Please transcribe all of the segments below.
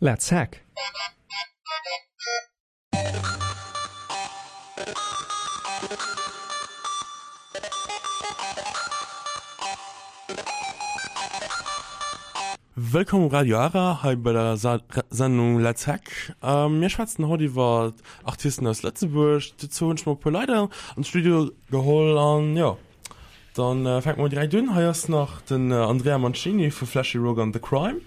Let's Hack! Wëllkomm um Radio Ara, hei bei der Sendung Let's Hack. Mir schwätzen haut iwwer Artisten aus Lëtzebuerg. Dozou hunn ech mer e puer Leit an de Studio geholl an jo, Dann fänke mer direkt un. Hei ass nach den Andrea Mancini vu Flashy Rock an The Crime.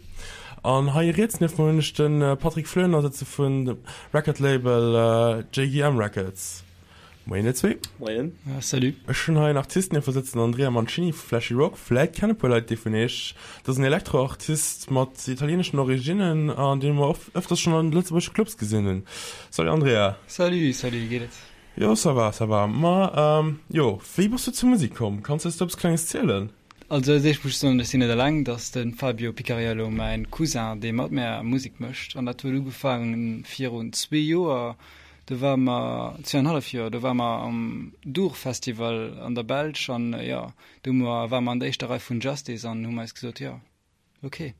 An hei riets nieft mer hunn ech de Patrick Floener sëtze vun dem Record Label JGM Records. Moien dir zwee. Moien. Salut. Ech hunn hei en Artist nieft mer sëtzen, den Andrea Mancini vu Flashy Rock. Vläit kennen e puer Leit dee vun iech. Dat ass en Elektro-Artist mat italieeneschen Originnen an dee mer ëfters schonn an lëtzebuergesche Clubs gesinn hunn. Salut Andrea. Salut, salut, wéi geet et? Jo ça va, ça va. Ma jo, wéi bass du zur Musik komm? Kanns eis do eppes klenges zielen? Also als éischt muss ech soen, ech sinn net eleng, et ass de Fabio Picariello, mäin Cousin, dee mat mär Musek mécht. An dat huet ugefaangen virun zwee Joer, do ware mer, zweeanenhallef Joer, do ware mer am Dour Festival an der Belsch an jo, do hu mer, ware mer an der éischter Rei vun Justice an hu mer eis gesot, jo, Ok,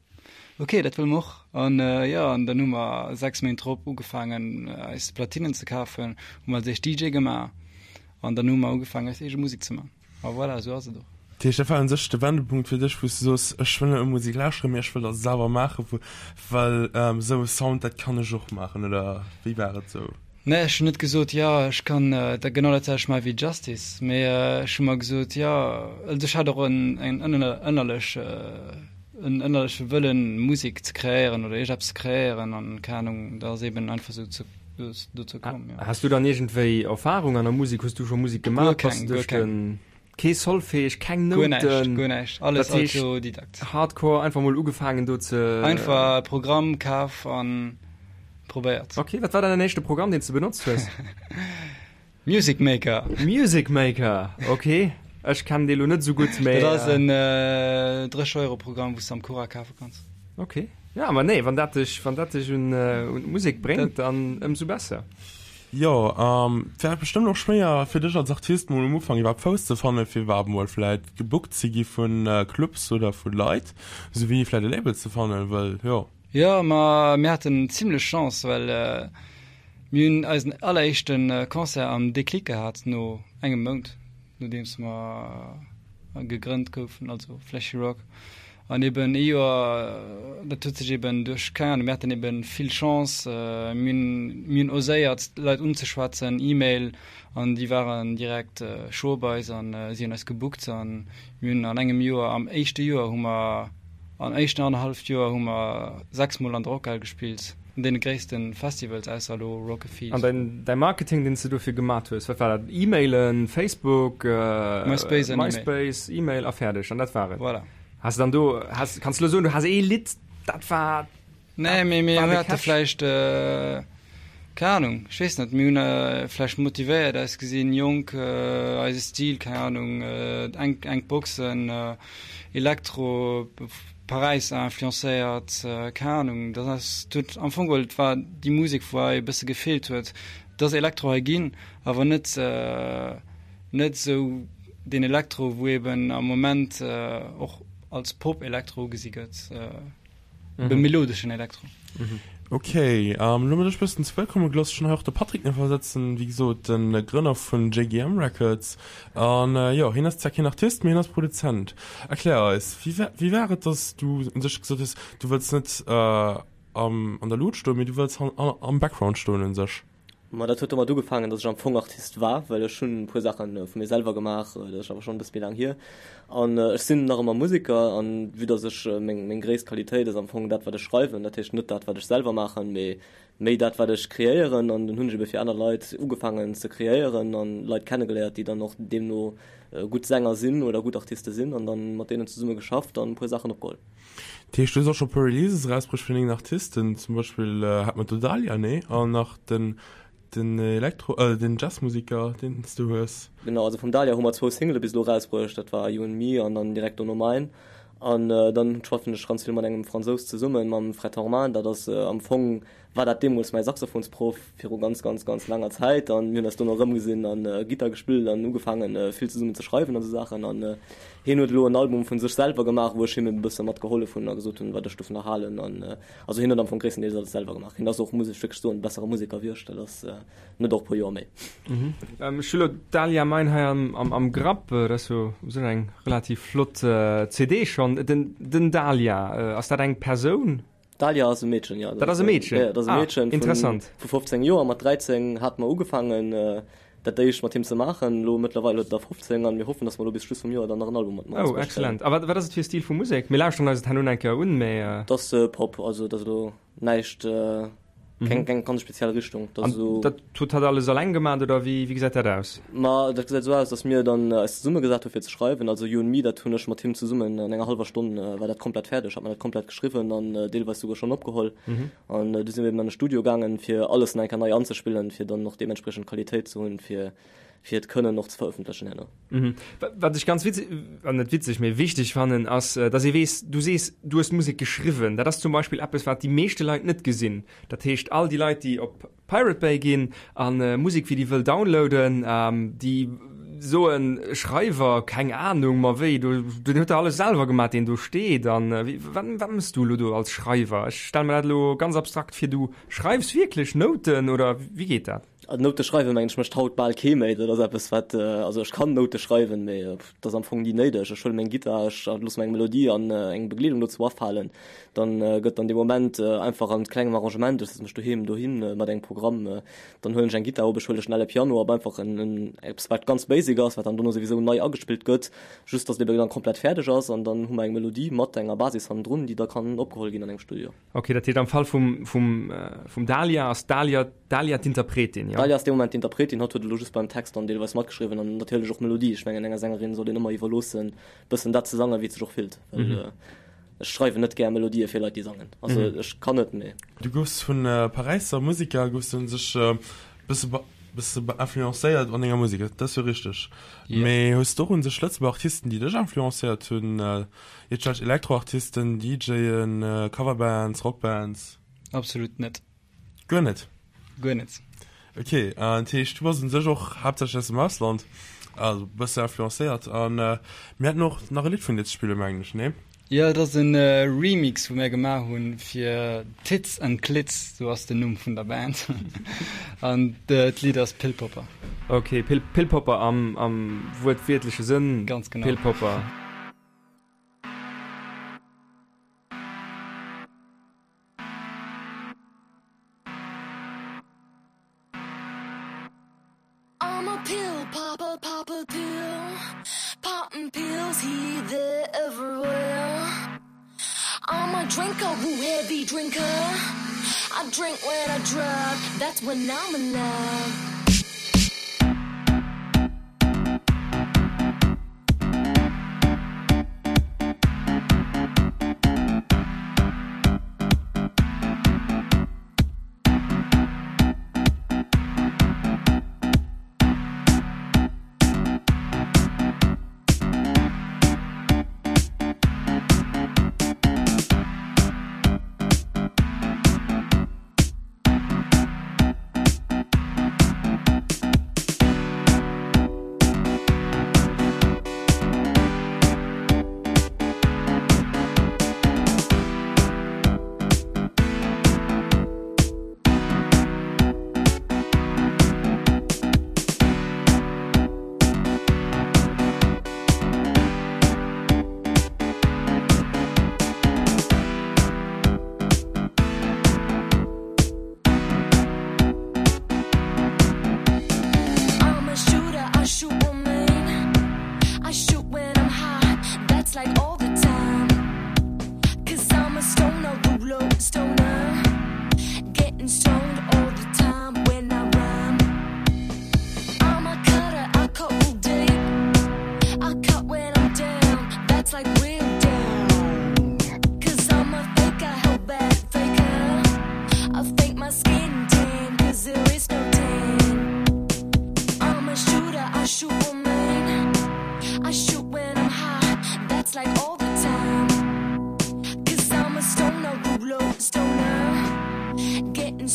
ok, dat wëlle mer och. An jo, an dann hu mer 6 Méint drop ugefaangen eis Platinen ze kafen, hu mer als éischt DJ gemaach an dann hu mer ugefaangen eis eege Musek ze man. A voilà, esou ass et och. Dat heescht, dat war un sech de Wendepunkt fir dech, wou s du soos, ech wëll net nëmme Musek lauschteren, mee ech wëll dat selwer maachen, well esou e Sound, dat kann ech och maachen, oder wéi war et esou? Nee, ech hunn net gesot, jo, ech kann da genau dat selwecht maache wéi Justice, mee ech hu mer gesot, jo, also ech hat och en en ënnerlech en ënnerleche Wëllen, Musek ze kreéieren oder iergendeppes ze kreéieren an, keng Anung, da ass eben einfach esou zu dozou komm, jo. Has du dann iergendwéi Erfahrung an der Musek? Hues du scho Musek gemaach? Guer keng, guer keng. Kee Solfège, keng Nouten? Guer näischt, guer näischt, alles Autodidakt. Hardcore, einfach mol ugefaangen do ze. Einfach e Programm kaf an probéiert. Ok, wat war dann däin éischte Programm deen s de benotzt hues? Music Maker. Music Maker, ok. Ech kennen dee lo net esou gutt, mee. Dat ass en 30 Euro Programm wou s de am Cura kafe kanns. Ok, ja ma nee, wann dat dech, wann dat dech un d'Musek bréngt, dann ëmsou besser. Jo, et war bestëmmt och schwéier fir dech als Artist mol um Ufank iwwerhaapt Fouss ze fannen, fir iwwerhaapt mol vläit gebookt ze gi vu Clubs oder vu Leit, esou wéi vläit e Label ze fannen, well jo. Jo, ma mir haten zimlech Chance, well mir hunn eisen alleréischte Concert am Déclic gehat no engem Mount, nodeems mer gegrënnt goufen, also Flashy Rock. An eben ee Joer, dat huet sech eben duerch, keng Ahnung, mir haten eben vill Chance, mir hunn, mir hunn oséiert d'Leit unzeschwätzen, E-Mail, an déi waren direkt scho bei eis an si hunn eis gebookt an mir hunn an engem Joer, am éischte Joer hu mer, am éischten annerhalleft Joer hu mer 6 mol an der Rockhal gespillt, an deene gréisste Festivals, ausser elo Rock a Feed. An däin, däi Marketing, deen s de dofir gemat hues, wat war dat? E-Mailen, Facebook, MySpace an E-Mail. MySpace, E-Mail a fäerdeg, an dat war et? Voilà. Has de dann do, has, kanns de elo soen, du has ee Lidd, dat war. Nee, mee mir hate vläicht, keng Ahnung, ech weess net, mir hunn vläicht motivéiert ausgesinn, jonk, eise Stil, keng Ahnung, enk, enk Boxen, Elektro, Paräis influencéiert, keng Ahnung, dat ass, huet am Fong geholl, et war déi Musek, wou hei e bësse gefeelt huet. Et ass Elektro hei ginn, awer net, net esou deen Elektro, wou eben am Moment och als Pop-Elektro ugesi gëtt. Mhm. Melodeschen Elektro. Mhm. Okay, ähm, lo mat ech bëssen ze Wuert komme gelooss. Ech hunn hei och de Patrick nach sëtzen, wéi gesot, den Grënner vun JGM Records. An äh, jo, hien ass zwar keen Artist, mee hien ass Produzent. Erklär eis, wéi war, wéi war et, dass du un sech gesot hues, du wëlls net äh, am, an der Luut stoen, mee du wëlls an, an, am Background stoen un sech? Ma dat huet domat ugefaangen, datt ech am Fong Artist war, well ech hunn e puer Saache vu mir selwer gemaach, dat ass awer schonn e bësse méi laang hier. An ech sinn nach ëmmer Museker an vue datt ech meng meng gréisst Qualitéit ass am Fong dat wat ech schreiwen, dat heescht net dat wat ech selwer maachen, mee méi dat wat ech kreéieren. An dunn hunn ech ebe fir aner Leit ugefaangen ze kreéieren an Leit kennegeléiert, déi dann och deemno gutt Sänger sinn oder gutt Artiste sinn an dann mat deenen zesumme geschafft an e puer Saachen opgeholl. Dat heescht, du hues och scho puer Releases erausbruecht vun dengen Artisten, zum Beispill hat mer d'Odalia, nee? An nach den den Elektro, äh den Jazzmusiker, deen s du hues. Genau, also vum Dalia hu mer zwou Single bis elo erausbruecht, dat war You and Me an dann direkt dono Mine. An dann schaffen ech ganz vill mat engem Fransous zesummen, mam Fred Horman, dat ass am Fong. War dat deemools mäi Saxophonsproff viru ganz, ganz, ganz laanger Zäit an mir hunn eis dono erëmgesinn an Gittar gespillt an ugefaangen vill zesummen ze schreiwen an esou Saachen an hien huet elo en Album vun sech selwer gemaach, wou ech him e bësse mat gehollef hunn a gesot hunn, wat ech dovunner halen an also hien huet am Fong gréisstendeels alles selwer gemaach. Hien ass och, muss ech wierklech soen, e bessere Museker wéi ech, dat ass net och e puer Joer méi. Ech hu lo d'Dahlia Mein hei am Grapp, dat ass jo u sech eng relativ flott CD schonn. Den Dahlia, ass dat eng Persoun? D'Dalia ass e Meedchen, jo. Dat ass e Meedchen? Jo, dat ass e Meedchen. Ah, interessant. Vu 15 Joer. Mat 13 hate mer ugefaangen, dat éischt mat him ze maachen. Elo mëttlerweil huet en der 15 an mir hoffen, dass mer elo bis Schluss vum Joer dann nach en Album mat him erausbréngen. Oh, excellent. A wat, wat ass et fir e Stil vu Musek? Mir lauschteren eis et herno eng Kéier un, mee. Dat ass Pop, also dat ass elo näischt, keng, keng ganz speziell Richtung. Dat ass esou. An dat huet hatt alles alleng gemaat oder wéi, wéi gesäit dat aus? Ma dat gesäit esou aus, dass mir dann eis zesummegesat hu fir ze schreiwen. Also You and Me, dat hunn ech mat him zesummen an enger hallwer Stonn war dat komplett fäerdeg, hat mer dat komplett geschriwwen an deelweis souguer schonn opgeholl. An du si mir eben an de Studio gaangen, fir alles nach eng Kéier nei anzespillen, fir dann och deementspriechend Qualitéit ze hunn, fir fir et kënnen och ze verëffentlechen herno. Wat ech ganz witzeg, net witzeg, mee wichteg fannen, ass, dass ee weess, du sees, du hues d'Musek geschriwwen. Dat ass zum Beispill eppes, wat déi meeschte Leit net gesinn. Dat heescht, all déi Leit, déi op Pirate Bay ginn a Musek fir déi wëll downloaden, déi soen, Schreiwer, keng Anung, ma wéi, do, deen huet der alles selwer gemaach, deen do steet. An wat, wat mëss du elo do als Schreiwer? Ech stelle mer dat elo ganz abstrakt vir, du schreifs wierklech Nouten oder wéi geet dat? Noute schreiwen, mengen ech, mécht haut bal kee méi. Dat ass eppes, wat, also ech kann Noute schreiwen, mee dat ass am Fong ni néideg. Ech huele meng Gittar, ech loosse mer eng Melodie an eng Begleedung dozou afalen. Dann gëtt an deem Moment einfach an klengem Arrangement, ech setze mech doheem dohin mat engem Programm, dann huelen ech eng Gittar op, ech huele schnell e Piano op, einfach en eppes, wat ganz basic ass, wat dann dono souwisou nei agespillt gëtt, just datt et ebe dann komplett fäerdeg ass an dann hu mer eng Melodie mat enger Basis hannendrun, déi da kann opgeholl ginn an engem Studio. Ok, dat heescht am Fall vum, vum, vum Dalia ass d'Dalia, d'Dalia d'Interpretin, jo? D'Dalia ass dee Moment d'Interpretin, hatt huet elo just beim Text dann deelweis matgeschriwwen an natierlech och d'Melodie. Ech mengen, enger Sängerin sollt een ëmmer iwwerloossen, bëssen dat ze sangen, wéi et sech och fillt, well ech schreiwen net gär Melodië fir Leit, déi sangen. Also ech kann et, mee. Du goufs vun Paräisser Museker, goufs du un sech bësse, bësse influencéiert an denger Musek, dat ass jo richteg. Mee hues du och un sech Lëtzebuerger Artisten, déi dech influencéiert hunn? Iergendwelch Elektroartisten, DJen, Coverbands, Rockbands? Absolut net. Guer net? Guer net. Ok, dat heescht du bass un sech och haaptsächlech aus dem Ausland, also bësse influencéiert. An mir hätten och nach e Lidd vun dir ze spillen, mengen ech, nee? Jo, et ass e Remix wou mir gemaach hunn fir Tits and Clits, sou ass den Numm vun der Band. An d'Lidd ass Pill Popper. Ok, Pill Popper am am wuertwiertleche Sënn. Ganz genau. Pill Popper. I'm a pill popper, pop a pill Popping pills here, there, everywhere I'm a drinker, woo heavy drinker I drink when I drive, that's when I'm alive I'm a shooter, I shoot woman. I shoot when I'm high, that's like all the time. Cause I'm a stoner, ruler, stoner. Getting stoned all the time when I rhyme. I'm a cutter, I cut real deep. I cut when I'm down, that's like real down. Cause I'm a faker, hell bad faker. I fake my skin tan, cause there is no tan. I'm a shooter, I shoot woman. I shoot when I'm high, that's like all the time. Cause I'm a stoner, ruler, stoner. Getting.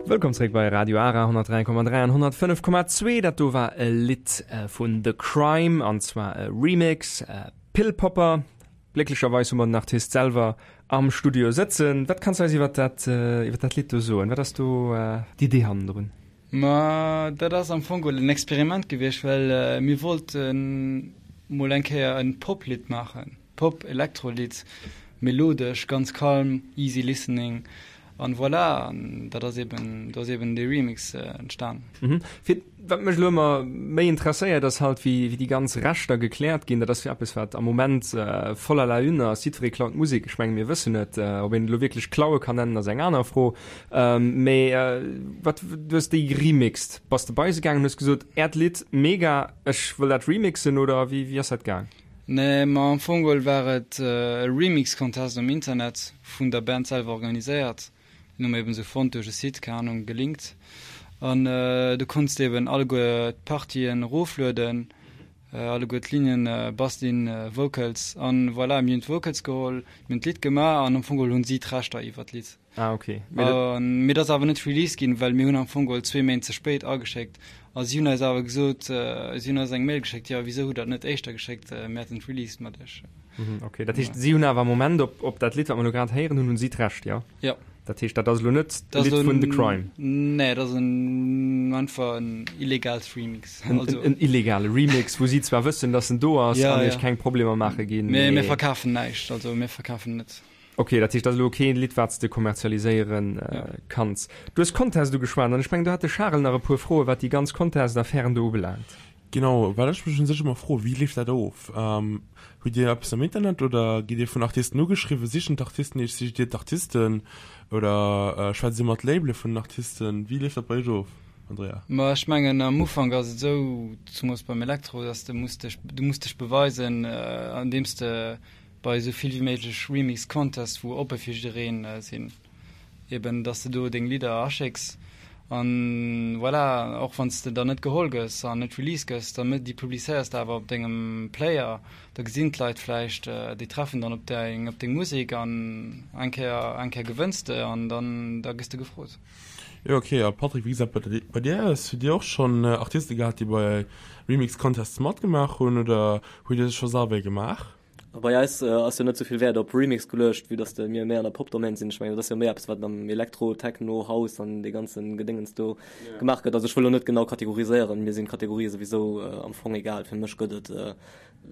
Wëllkomm zréck bei Radio Ara 103,3 an 105,2. Dat do war e Lidd vun The Crime an zwar e Remix, Pill Popper. Glécklecherweis hu mer den Artist selwer am Studio sëtzen. Wat kanns du eis iwwer dat, iwwer dat Lidd do soen? Wat ass do d'Idee hannendrun? Ma dat ass am Fong geholl en Experiment gewiescht, well mir wollten mol eng Kéier e Pop-Lidd maachen. Pop-Elektro-Lidd, melodesch, ganz kalm, easy listening an voilà, an dat ass eben, do ass eben dee Remix entstan. Mhm. Fir, wat mech elo ëmmer méi interesséiert, ass halt, wéi, wéi déi ganz Rechter gekläert ginn. Dat ass jo eppes, wat am Moment voll à la une ass. Jiddweree klaut Musek, ech menge mir wëssen et. Ob een et elo wierklech klaue kann nennen, ass eng aner Fro. Mee wat, du hues déi geremixed. Bass de bei se gaangen, hues gesot, Äert Lidd, mega, ech wëll dat remixen, oder wéi, wéi ass dat gaang? Nee, ma am Fong geholl war et e Remix Contest um Internet, vun der Band selwer organiséiert. Den hu mer eben sou fonnt duerch e Site, keng Ahnung, gelinkt. An do konns de eben alleguer d'Partien eroflueden, alleguer d'Lignen, Basslinn, Vocals. An voilà, mir hunn d'Vocals geholl, mir hunn d'Lidd gemaach an am Fong geholl hunn si d'Rechter iwwer d'Lidd. Ah, okay. Mee dat. Mee dat ass awer net released ginn, well mir hunn am Fong geholl zwee Méint ze spéit ageschéckt. A si hunn eis awer gesot, si hunn eis eng Mail geschéckt, jo, wisou hutt der et net éischter geschéckt, mir hätten et released mat iech. Mhm, okay. Dat heescht, si hunn awer am Moment op, op dat Lidd, wat mer elo grad héieren hunn, hunn si d'Recht, jo? Jo. Dat heescht, dat ass elo net e Lidd vun The Crime? Nee, dat ass en, einfach en illegalt Remix. En, also. En, en illegale Remix, wou si zwar wëssen, dass en do ass ja, an iech keng Problemer maache ginn. Mee mir verkafen näischt, also mir verkafen net. Ok, dat heescht, dat ass elo kee Lidd, wat s de kommerzialiséiere kanns. Du hues Contest ugeschwat an ech mengen, do hat de Charel nach e puer Froen, wat déi ganz Contest-Affären do ubelaangt. Genau, well ech mech un sech ëmmer froen, wéi leeft dat of? Hutt Dir eppes am Internet oder gitt Dir vun Artisten ugeschriwwen? Sichen d'Artisten Iech, sicht Dir d'Artisten oder schwätzt Dir mat Labele vun den Artisten? Wéi leeft dat bei Iech of, Andrea? Ma ech mengen, am Ufank ass et esou, zumols beim Elektro, dass de muss dech, du muss dech beweisen, andeems de bei esou vill wéi méiglech Remix Contests wou oppe fir jiddereen sinn, eben dass de do deng Lidder aschécks an voilà, och wann s de dann net geholl gëss an net released gëss, da déi publizéiers de awer op dengem Player, da gesinn d'Leit vläicht, déi treffen dann op deng op deng Musek an eng Kéier eng Kéier gewënns de an dann da gëss de gefrot. Jo ok, a Patrick, wéi gesäit et bei dir aus? Hutt dir och schonn Artiste gehat déi bei Remix Contests matgemaach hunn oder hutt dir se scho selwer ee gemaach? Bei eis ass jo net souvill Wäert op Remix geluecht, vue dass de mir méi an der Pop-Domaine sinn. Ech mengen, dat ass jo méi eppes, wat am Elektro, Techno, House an dee ganze Gedéngens do gemaach gëtt. Also ech wëll elo net genau kategoriséieren, mir sinn d'Kategorië souwisou am Fong egal. Fir mech gëtt et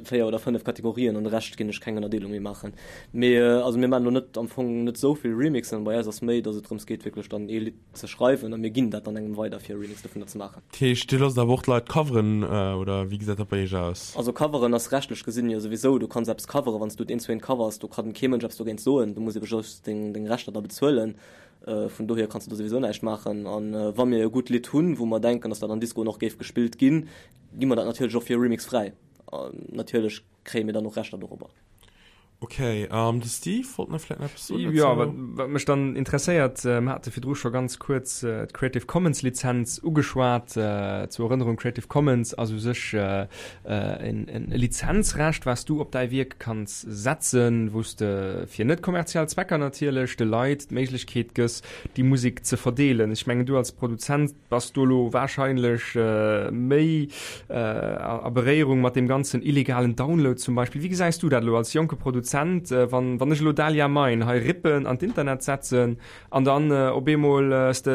4 oder 5 Kategorien, an de Rescht ginn ech keng Ënnerdeelung méi maachen. Mee also mir maachen elo net am Fong net esou vill Remixen. Bei eis ass méi, dass et drëms geet wierklech dann ee Lidd ze schreiwen a mir ginn dat dann engem weider fir e Remix dovunner ze maachen. Dat heescht dir loosst awer och d'Leit coveren oder wéi gesäit dat bei iech aus? Also coveren ass rechtlech gesinn jo souwisou, du kanns eppes coveren, wann s du et eent zu eent covers, do kann kee Mënsch eppes dogéint soen, du muss ebe just deng deng Rechter da bezuelen, vun dohier kanns du do souwisou näischt maachen. An wa mir e gutt Lidd hunn, wou mer denken, dass dat an Discoen och géif gespillt ginn, gi mer dat natierlech och fir e Remix fräi. Natierlech kréie mir dann och Rechter dorobber. Ok, de Steve wollt nach vläit nach eppes soen dozou. Jo, wat, wat mech dann interesséiert, mir hate virdru scho ganz kuerz d'Creative Commons Lizenz ugeschwat. Zur Erënnerung, Creative Commons ass u sech en, en Lizenzrecht, wat s du op däi Wierk kanns setzen, wou s de fir net kommerziell Zwecker natierlech de Leit d'Méiglechkeet gëss, déi Musek ze verdeelen. Ech mengen, du als Produzent, Bass du elo wahrscheinlech méi a Beréierung mat deem ganzen illegalen Download zum Beispill? Wéi gesäis du dat elo als jonke Produzent, wann wann ech elo Dahlia Mine hei rippen an d'Internet setzen an dann op eemol s de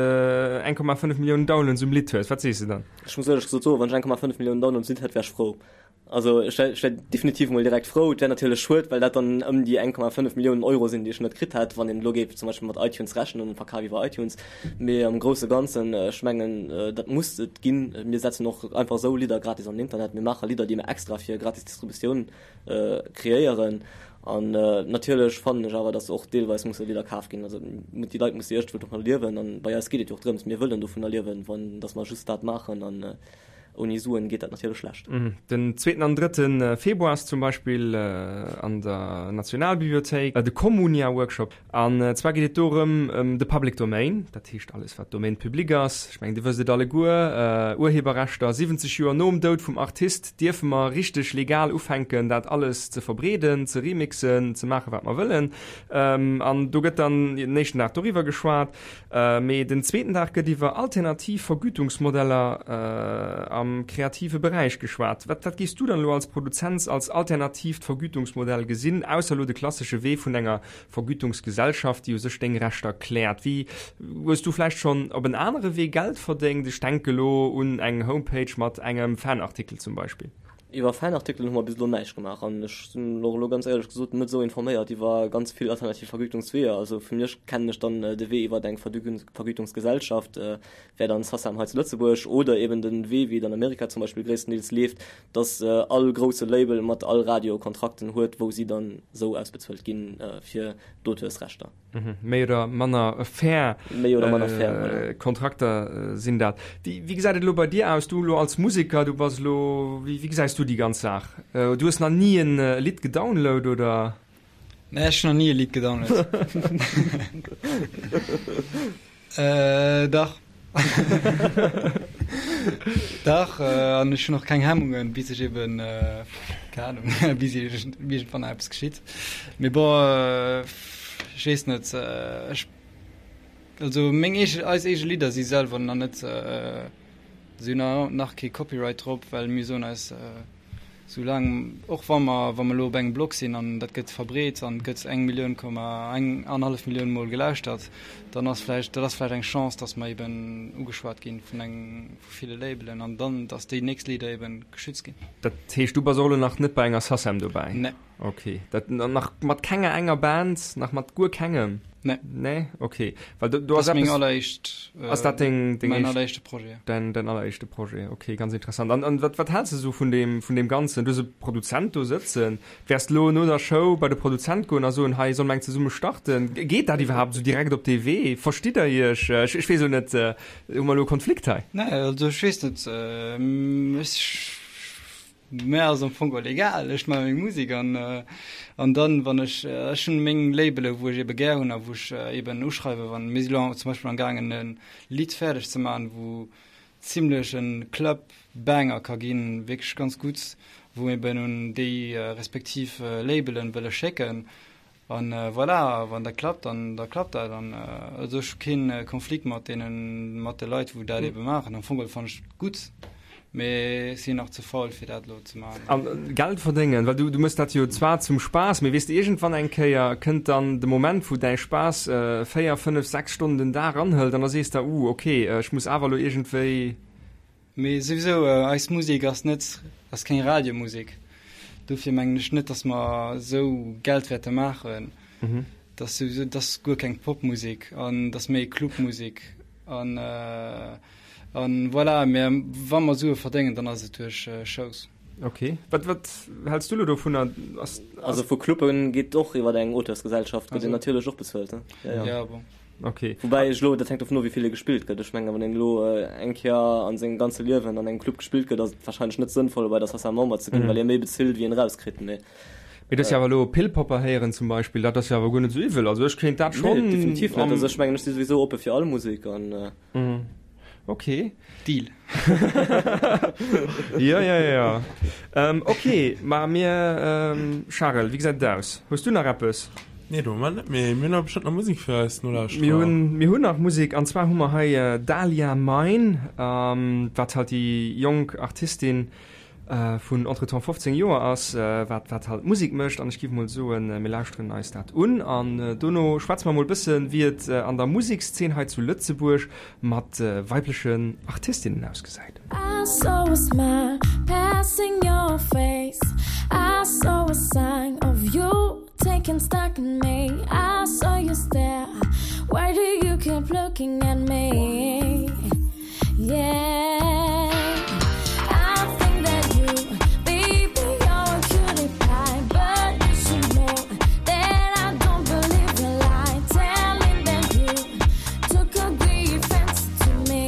1,5 Milliounen Downloads um Lidd hues, wat sees de dann? Ech muss éierlech gesot soen, wann ech 1,5 Milliounen Downloads um Lidd hätt, wär ech frou. Also ech wär, ech wär definitiv emol direkt frou. Et wär natierlech schued, well dat dann ëm déi 1,5 Milliounen Euro sinn, déi ech net kritt hätt, wann een elo géif zum Beispill mat iTunes rechnen an Verkaf iwwer iTunes. Mee am grousse Ganzen, ech mengen, dat muss et ginn. Mir setzen och einfach esou Lidder gratis an den Internet. Mir maache Lidder, déi mir extra fir gratis Distributioun kreéieren. An natierlech fannen ech awer, datt och deelweis musse Lidder kaf ginn. Also déi Leit musse iergendwou dovunner liewen. An bei eis geet et jo och drëms, mir wëllen dovunner liewen, wann datt mer just dat maachen. An. Ouni Suen geet dat natierlech schlecht. Den zweeten an drëtte Februar ass zum Beispill an der Nationalbibliothéik de Communia-Workshop. An zwar geet et dorëm ëm de Public Domain, dat heescht alles wat Domaine public ass. Ech mengen Dir wësst et alleguer, Urheberrechter, 70 Joer nom Doud vum Artist dierfe mer richteg legal ufänken dat alles ze verbreeden, ze remixen, ze maache wat mer wëllen. An do gëtt dann den éischten Dag doriwwer geschwat. Mee den zweeten Dag gëtt iwwer alternativ Vergütungsmodeller am kreative Beräich geschwat. Wat wat géifs du dann elo als Produzent als alternatiivt Vergütungsmodell gesinn, ausser elo de klassesche Wee vun enger Vergütungsgesellschaft, déi u sech deng Rechter kläert? Wéi hues du vläicht schonn op en anere Wee Geld verdéngt? Ech denke elo un eng Homepage mat engem Fanartikel zum Beispill. Iwwer Fanartikelen hu mer bis elo näischt gemaach an ech sinn och elo ganz éierlech gesot net esou informéiert iwwer ganz vill alternativ Vergütungsweeër. Also fir mech kennen ech dann de Wee iwwer eng Vergütungsgesellschaft, wär dann SACEM hei zu Lëtzebuerg oder eben den Wee wéi et an Amerika zum Beispill gréisstendeels leeft, dass all grousse Label mat all Radio Kontrakten huet, wou si dann esou ausbezuelt ginn fir d'Auteursrechter. Méi oder manner fair Méi oder manner fair, voilà. Kontrakter sinn dat. Wéi, wéi gesäit et elo bei dir aus? Du elo als Museker, du bass elo, wéi, wéi gesäis du déi ganz Saach? Du hues nach ni en Lidd gedownload, oder? Nee, ech hunn nach ni e Lidd gedownload. Äh, dach. Dach, an ech hunn och keng Hemmungen, bis ech eben, keng Ahnung, bis iergendwann eppes geschitt. Mee bon, ech weess net, ech, also meng eege, eis eege Lidder si selwer nach net, si hunn nach kee Copyright drop, well mir soen eis, Soulaang, och wa mer, wa mer elo op engem Blog sinn an dat gëtt verbreet an et gëtt eng Millioun Komma eng annerhallef Millioun mol gelauschtert, dann ass vläicht, dat ass vläicht eng Chance, datt mer eben ugeschwat ginn vun eng, vu ville Labelen an dann, datt déi nächst Lidder eben geschützt ginn. Dat heescht, du bass och elo nach net bei enger SACEM dobäi? Nee. Ok, dat nach mat kenger enger Band, nach mat guer kengem? Nee. Nee? Ok. Well do, do ass eppes. Meng alleréischt. Ass dat deng, deng Mäin alleréischte Projet. Däin, däin alleréischte Projet, ok, ganz interessant. An, an wat, wat häls de sou vun deem, vun deem Ganzen? Du hues e Produzent do sëtzen. Wäers de lo no der Show bei de Produzent goen a soen, hei, solle mer eng zesumme starten? Geet dat iwwerhaapt esou direkt op dee Wee? Verstitt der iech? Ech, ech weess elo net, hu mer elo e Konflikt hei? Nee, also ech weess net, ech. Mär ass am Fong och egal, ech maache meng Musek an an dann wann ech, ech hunn meng Labele wou ech ebe gär hunn a wou ech eben uschreiwe wann, mir si lo zum Beispill am gaangen e Lidd fäerdeg ze maachen, wou zimlech e Club Banger ka ginn, wierklech ganz gutt, wou mir eben un déi respektiv Labelen wëlle schécken An voilà, wann dat klappt, dann da klappt dat. An also ech hu keen Konflikt mat deenen, mat de Leit wou dat ebe maachen. Am Fong geholl fannen ech et gutt, mee ech sinn nach ze faul fir dat elo ze maachen. An Geld verdéngen, well du du mëss dat jo zwar zum Spaass, mee weess de iergendwann eng Kéier kënnt dann de Moment wou däi Spaass 4, 5, 6 Stonnen den Dag anhëlt an da sees de, uh ok, ech muss awer elo iergendwéi. Mee souwisou, eis Musek ass net, ass keng Radiomusek. Dofir mengen ech net, datt mer esou Geld wäerte maachen. Dat ass souwisou, dat ass guer keng Popmusek an dat ass méi Clubmusek an an voilà. Mä wa mer Sue verdéngen, dann ass et duerch Shows. Ok. Wat, wat häls du elo dovunner? Ass, ass. Also vu Clubben geet och iwwer eng Auteursgesellschaft, gëtt een natierlech och bezuelt, ne? Ja, ja. Ja, bon. Ok. Woubäi ech elo, dat hänkt dovun of, wéi vill e gespillt gëtt. Ech mengen, wann een elo eng Kéier a sengem ganze Liewen an engem Club gespillt gëtt, ass et warscheinlech net sënnvoll, bei der SACEM Member ze ginn, well ee méi bezilt, wéi een erauskritt. Mee. Mee dass se awer elo Pillpopper héieren zum Beispill, dat ass jo awer guer net esou iwwel. Also ech kéint dat schonn. Nee, definitiv net. Also ech mengen, ech si souwisou oppe fir all Musek an. Ok. Deal. Jo, jo, jo. Ok, ma mir, Charel, wéi gesäit et aus? Hues du nach eppes? Nee, de Moment net, mee mir hunn awer bestëmmt nach Musek fir eis Nolauschterer. Mir hunn, mir hunn nach Musek, an zwar hu mer hei Dahlia Mine, wat halt déi jonk Artistin vun entretemps 15 Joer ass, wat wat halt Musek mécht an ech giff mol soen, mir lauschteren eis dat un an dono schwätze mer mol bëssen, wéi et an der Musekszeen hei zu Lëtzebuerg mat weiblechen Artistinnen ausgesäit. I saw a smile passing your face I saw a sign of you taking stock in me I saw you stare Why do you keep looking at me? Yeah I think that you baby you're a cutie pie But you should know that I don't believe your lie Telling that you took a great fancy to me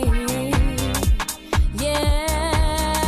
Yeah.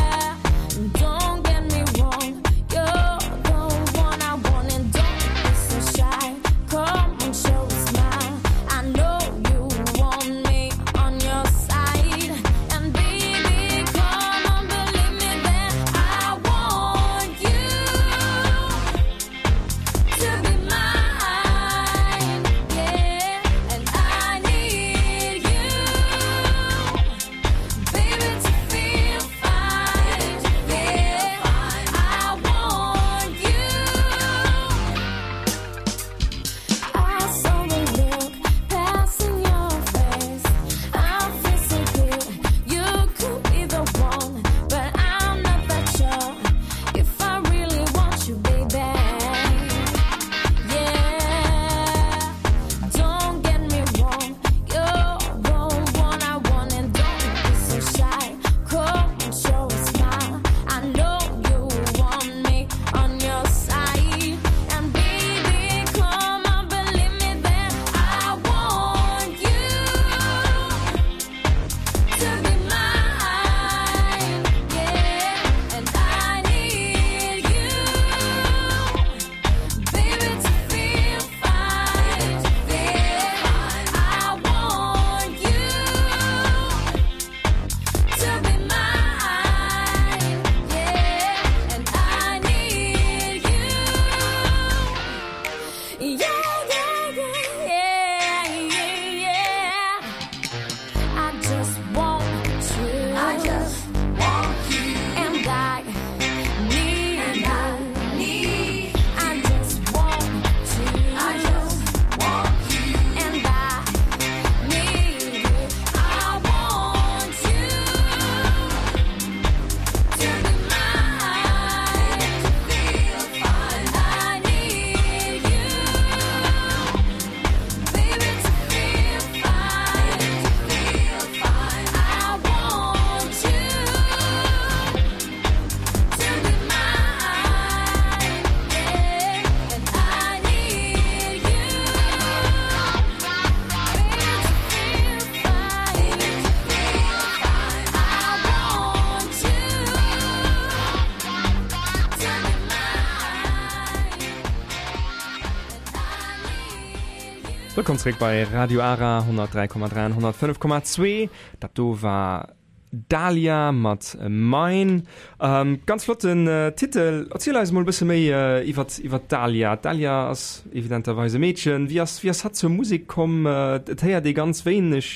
Wëllkomm zeréck bei Radio Ara 103,3 an 105,2. Dat do war Dahlia mat Mine. Ganz flotten Titel. Erziel eis mol e bësse méi iwwert iwwert d'Dahlia. D'Dahlia ass evidenterweis e Meedchen. Wéi ass wéi ass hatt zur Musek komm? Et héiert ee ganz wéineg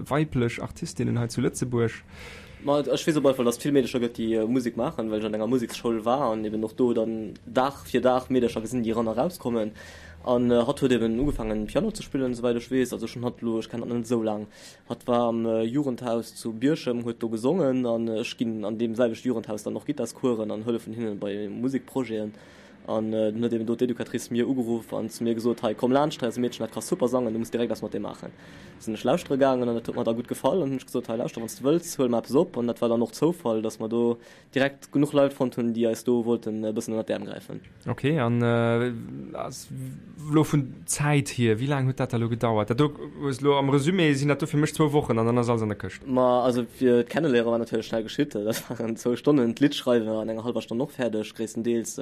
weiblech Artistinnen hei zu Lëtzebuerg. Ma ech weess op alle Fall, dass et vill Meedercher gëtt, déi Musek maachen, well ech an enger Museksschoul war an eben och do dann Dag fir Dag Meedercher gesinn, déi eran a rauskommen. An hatt huet eben ugefaangen Piano ze spillen, esouwäit ech weess. Also ech hunn hatt elo, ech kennen hatt net esou laang. Hatt war am Jugendhaus zu Bierchem, huet do gesongen an ech ginn an deem selwechte Jugendhaus dann och Gittarscoursen an hëllefen hinnen bei Musekprojeten. An dunn huet eben do d'Educatrice mir ugeruff an zu mir gesot, Hei, komm laanscht, hei ass e Meedchen, dat ka super sangen, du muss direkt eppes mat deem maachen. Sinn ech lauschtere gaangen an dat huet mer da gutt gefall an hunn ech gesot, Hei, lauschter, wann s de wëlls, huele mer eppes op. An dat war dann och Zoufall, dass mer do direkt genuch Leit fonnt hunn, déi eis do wollten e bëssen ënnert d'Äerm gräifen. Ok, an elo vun Zäit hier, wéi laang huet dat da elo gedauert? Dat do hues elo am Resumé, sinn dat do fir mech zwou Wochen an dann ass alles an der Këscht. Ma also fir d'Kenneléiere war natierlech schnell geschitt, dat waren zwou Stonnen, d'Lidd schreiwe an enger hallwer Stonn och fäerdeg gréisstendeels,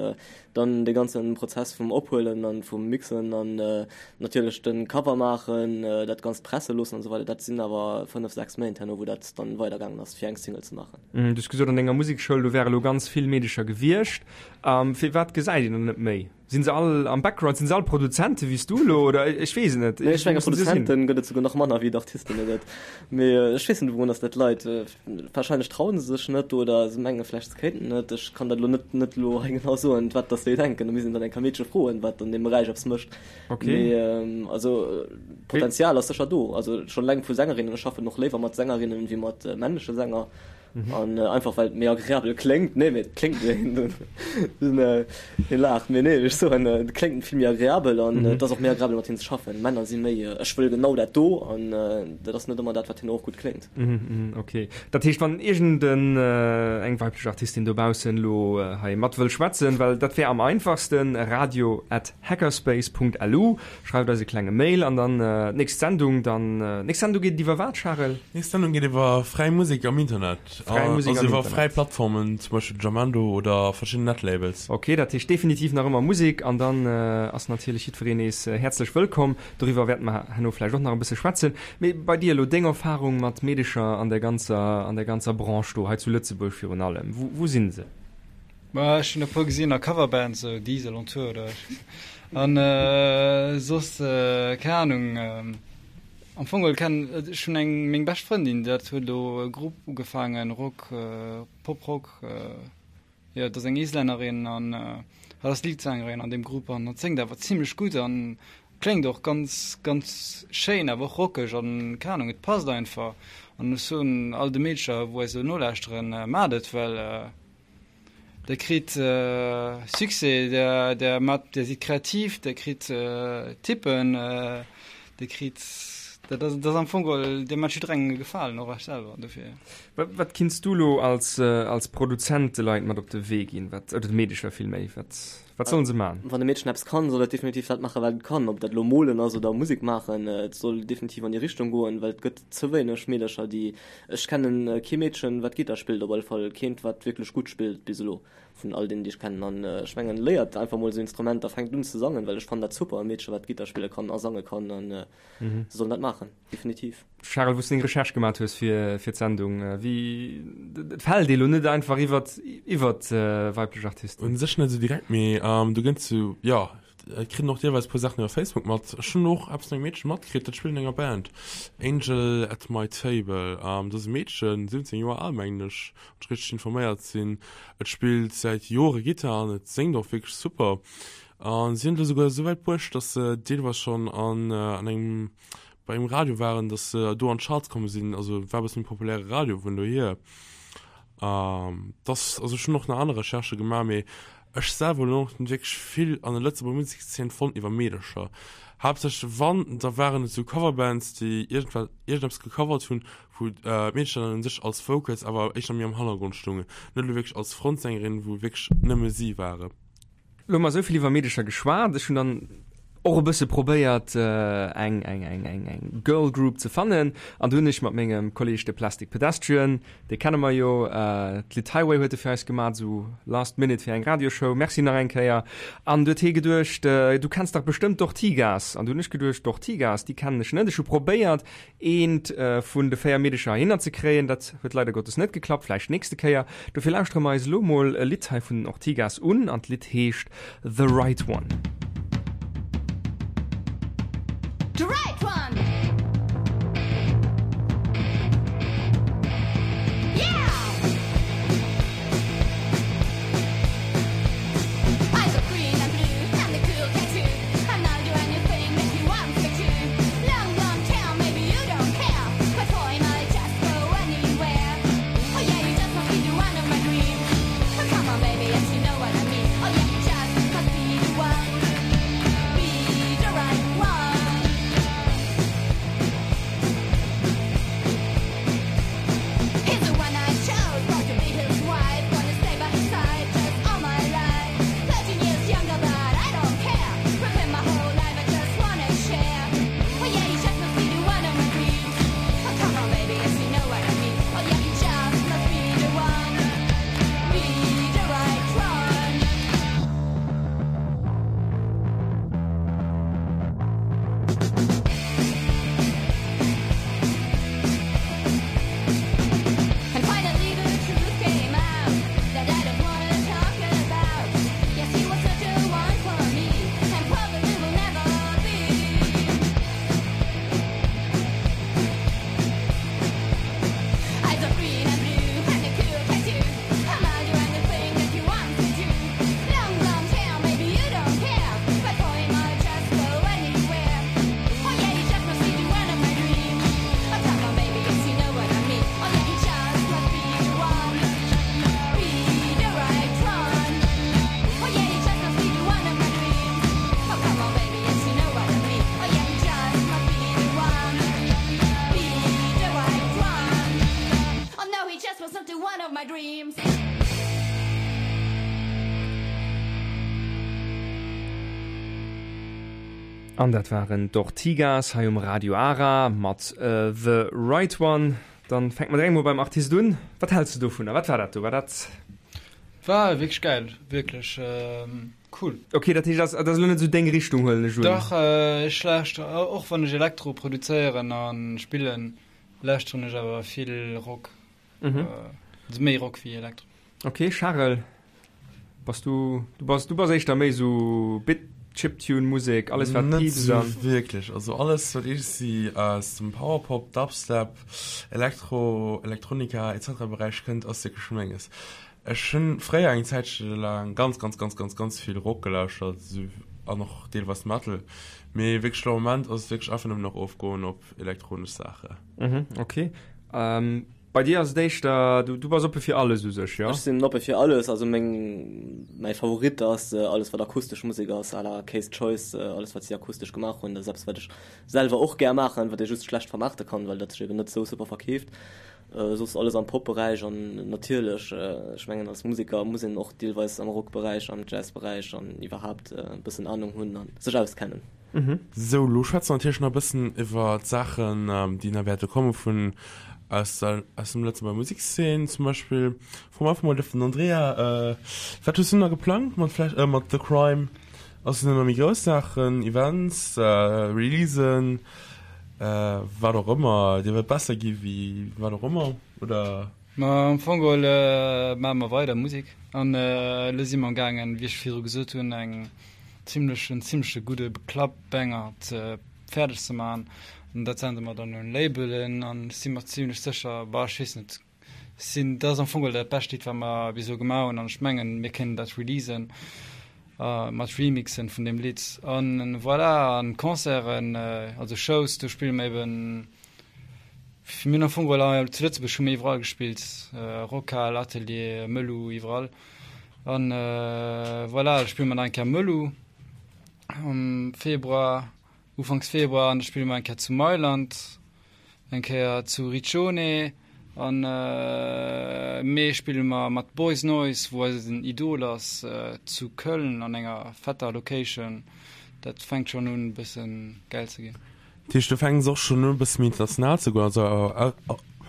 dann de ganze Prozess vum Ophuelen an vum Mixen an natierlech de Cover maachen, dat Ganzt presse loossen an esou weider, dat sinn awer 5, 6 Méint herno wou dat dann weidergaangen ass fir eng Single ze maachen. Du hues gesot an denger Musekschoul do wäre lo ganz vill Meedecher gewiescht. Firwat gesäit een der net méi? Sinn se all am Background? Sinn se all Produzente wéi s du elo oder ech weess et net. Nee, ech menge Produzente gëtt et souguer nach manner wéi et Artisten gëtt. Mee ech weess net wourun datt dat leit. Warscheinlech trauen se sech net oder se menge vläicht se kéinten net. Ech kann dat elo net net elo hei genau soen, wat datt déi denken. Do misst een dann eng Kéier Meedche froen, wat an deem Beräich eppes mécht. Okay. Mee also Potenzial ass sécher do. Also schonn eleng vu Sängerinnen, ech schaffen och léiwer mat Sängerinnen wéi mat männleche Sänger. An einfach well et méi agreabel kléngt. Nee, mee et kléngt hie laacht, mee nee, ech soen, et kléngt vill méi agreabel an et ass och méi agreabel mat hinnen ze schaffen. Männer si méi ech wëll genau dat do an dat ass net ëmmer dat, wat hinnen och gutt kléngt. Ok, dat heescht wann iergend eng weiblech Artistin dobaussen elo hei mat wëll schwätzen, well dat wär am einfachsten, radio at Hackerspace.lu, schreift eis e klenge Mail an dann d'nächst Sendung dann, nächst Sendung geet et iwwer wat, Charel? Nächst Sendung geet iwwer fräi Musek am Internet, Fräi Musek also am iwwer Internet. fräi Plattformen, zum Beispill Jamendo oder verschidden Netlabels. Ok, dat heescht definitiv nach ëmmer Musek an dann ass natierlech jiddwereen nees häerzlech wëllkomm. Doriwwer wäerte mer herno vläicht och nach e bësse schwätzen. Mee bei dir elo, deng Erfarung mat Meedecher an der ganzer, an der ganzer Branche do hei zu Lëtzebuerg virun allem, wou, wou sinn se? Ma ech hunn e puer gesinn a Coverbands, sou Diesel on Tour oder an soss keng Ahnung. Am Fong geholl kennen ech hunn eng meng bescht Frëndin, dat huet elo e Grupp ugefaangen, Rock, Pop-Rock, jo dat ass eng Islännerin an hatt ass Leadsängerin an deem Grupp an hatt séngt awer zimlech gutt an kléngt och ganz ganz schéin awer och rockeg an keng Ahnung, et passt einfach an ech soen all de Meedcher wou eis elo nolauschteren, maacht et well Der kritt Succès, der, der mat, der sidd kreativ, der kritt Tippen, der kritt, dat ass, dat ass am Fong geholl, dir mat jidderengem e Gefalen, och iech selwer, dofir. Wat, wat kinns du lo als, als Produzent de Leit mat op de Wee ginn, wat, oder de Meedecher villméi, wat, wat sollen se man? Wann e Meedchen eppes kann, soll et definitiv dat maachen, wat et kann, ob dat elo molen ass oder Musek maachen, et soll definitiv an déi Richtung goen, well et gëtt ze wéineg Meedercher, déi Ech kennen kee Meedchen wat Gittar spillt, op alle Fall keent wat wierklech gutt spillt bis elo vun all deenen déi ech kennen. An ech mengen léiert einfach mol esou Instrumenter, fänkt un ze sangen, well ech fannen dat super e Meedchen wat Gittar spille kann a sange kann an se sollen dat maachen, definitiv. Charel, wou s de deng Recherche gemat hues fir fir d'Sendung, wéi, et fält ee lo net einfach iwwert iwwert weiblech Artisten. Un sech net esou direkt, mee do gënns du, jo, Ech kritt och deelweis puer Saachen iwwer Facebook mat. Ech hunn och eppes vun engem Meedchen matkritt, dat spillt an enger Band, Angel at my table. Dat ass e Meedchen, 17 Joer al mengen ech, wann ech richteg informéiert sinn. Et spillt säit Jore Gittar an et séngt och wierklech super. A si hunn et elo souguer esou wäit bruecht, datt se deelweis schonn an an engem bei engem Radio waren, datt se do an d'Charts komme sinn. Also war e bëssen méi populäre Radio vun dohier. Dass, also ech hunn och nach aner Recherchë gemaach, mee ech selwer hunn och net wierklech vill an der Lëtzebuerger Musekszeen fonnt iwwer Meedercher. Haaptsächlech wann, da waren et sou Coverbands, déi iergendwat, iergendeppes gecovert hunn, wou d'Meedercher dann un sech als Vocals awer éischter méi am Hannergrond stoungen, net elo wierklech als Frontsängerin, wou wierklech nëmme si waren. Lo hu mer esou vill iwwer Meedecher geschwat. Ech hunn dann. och e bësse probéiert eng eng eng eng eng Girl Group ze fannen an do hunn ech mat mengem Kolleg de Plastic Pedestrian, dee kenne mer jo, d'Lidd Highway huet e fir eis gemat, esou last minute fir eng Radioshow, merci nach eng Kéier. An du huet hie geduecht, du kenns dach bestëmmt d'Ortigas. An du hunn ech geduecht, d'Ortigas, déi kennen ech net. Ech hu probéiert eent vun de 4 Meedecher heihinner ze kréien, dat huet leider Gottes net geklappt, vläicht nächste Kéier. Dofir lauschtere mer eis elo mol e Lidd hei vun den Ortigas un an d'Lidd heescht The Right One. The right one! Yeah! Eyes of green and blue and the cool tattoo And I'll do anything that he wants me to Long, long tail, maybe you don't care But for him I'll just go anywhere Oh yeah, you just must be the one of my dreams Oh come on baby, yes you know what I mean Oh yeah, you just must be the one Be the right one He's the one I chose, born to be his wife Gonna stay by his side just all my life 13 years younger, but I don't care With him my whole life I just wanna share Oh yeah, he just must be the one of my dreams Oh come on baby, yes you know what I mean Oh yeah, he just must be the one Be the right one And finally the truth came out That I don't wanna talk about Yes, he was such a one for me And probably will never be Eyes of green and blue and a cool tattoo And I'll do anything that he wants me to Long, blonde hair, maybe you don't care But for him I'll just go anywhere Oh yeah, he just must be the one of my dreams Oh come on baby, yes you know what I mean Oh yeah, he just must be the one Be the right one Oh yeah, he just must be the one of my dreams Oh come on baby, yes you know what I mean Oh yeah, he just must be the one Be the right one Oh no, he just wasn't the one of my dreams An dat waren d'Ortigas hei um Radio Ara mat The Right One. Dann fänke mer direkt mol beim Artist un. Wat häls de dovunner? Wat war dat do? War dat. War wierklech gäil, wierklech cool. Ok, dat heescht, dat ass elo net esou deng Richtung, huelen ech un? Dach, ech lauschteren, och wann ech Elektro produzéieren a spillen, lauschteren ech awer vill Rock. Also méi Rock wéi Elektro. Ok, Charel, bass du, du bass, du bass éischter méi esou Bit, Chiptune Musek, alles wat Net piipst esou an. wierklech, also alles wat iergendwéi aus dem Powerpop, Dubstep, Elektro, Elektronika etc Beräich kënnt ass wierklech menges. Ech hunn fréier eng Zäitche laang ganz ganz ganz ganz ganz vill Rock gelauschtert esou an och deelweis Metal, mee wierklech lo am Moment ass et wierklech einfach nëmmen nach ofgoen op elektronesch Saache. Mhm, ok. Bei dir ass et éischter, du, du bass oppe fir alles u sech, jo? Ech sinn oppe fir alles, also meng, mäi Favorit ass alles wat akustesch Musek ass, à la K's Choice, alles wat si akustesch gemaach hunn, dat ass eppes wat ech selwer och gär maachen, wat ee just schlecht vermaarte kann, well dat sech eben net esou super verkeeft. Soss alles am Pop-Beräich an natierlech, ech mengen als Museker muss een och deelweis am Rock-Beräich, am Jazz-Beräich an iwwerhaapt e bëssen Anung hunn a sech auskennen. Sou, lo schwätze mer natierlech nach e bëssen iwwer d'Saachen, déi nach wäerte komme vun aus der, aus dem Lëtzebuerger Musekszeen. Zum Beispill froe mer einfach mol den Andrea, Wat hues du nach geplangt mat vläicht, mat The Crime? Ass et nach méi grouss Saachen, Events, Releasen, wat och ëmmer? Dir wëllt besser gi wéi wat och ëmmer, oder? Ma am Fong geholl maache mer weider Musek an elo si mer am gaangen, wéi ech virdru gesot hunn, eng zimlech, en zimleche gudde Club-Banger ze fäerdeg ze maachen. An dat sende mer dann un Labelen an ech si mer zimlech sécher, bah ech weess net, sinn, dat ass am Fong geholl dat bescht Lidd wat mer bis elo gemaach hunn an ech mengen mir kéinten dat releasen mat Remixen vun deem Lidd an voilà. An Concerten, also Shows, do spille mer eben Mir hunn am Fong geholl zu Lëtzebuerg hu mir iwwerall gespillt, Rockhal, Atelier, Mëllu, iwwerall. An voilà, da spille mer nach eng Kéier Mëllu am Februar, Ufanks Februar an da spille mer eng Kéier zu Mailand, eng Kéier zu Riccione an Mee spille mer mat Boys Noize, wou eisen Idol ass, zu Köln an enger fetter Location. Dat fänkt schonn un e bëssen gäil ze ginn. Dat heescht du fänks och schonn un e bësse méi international ze goen, also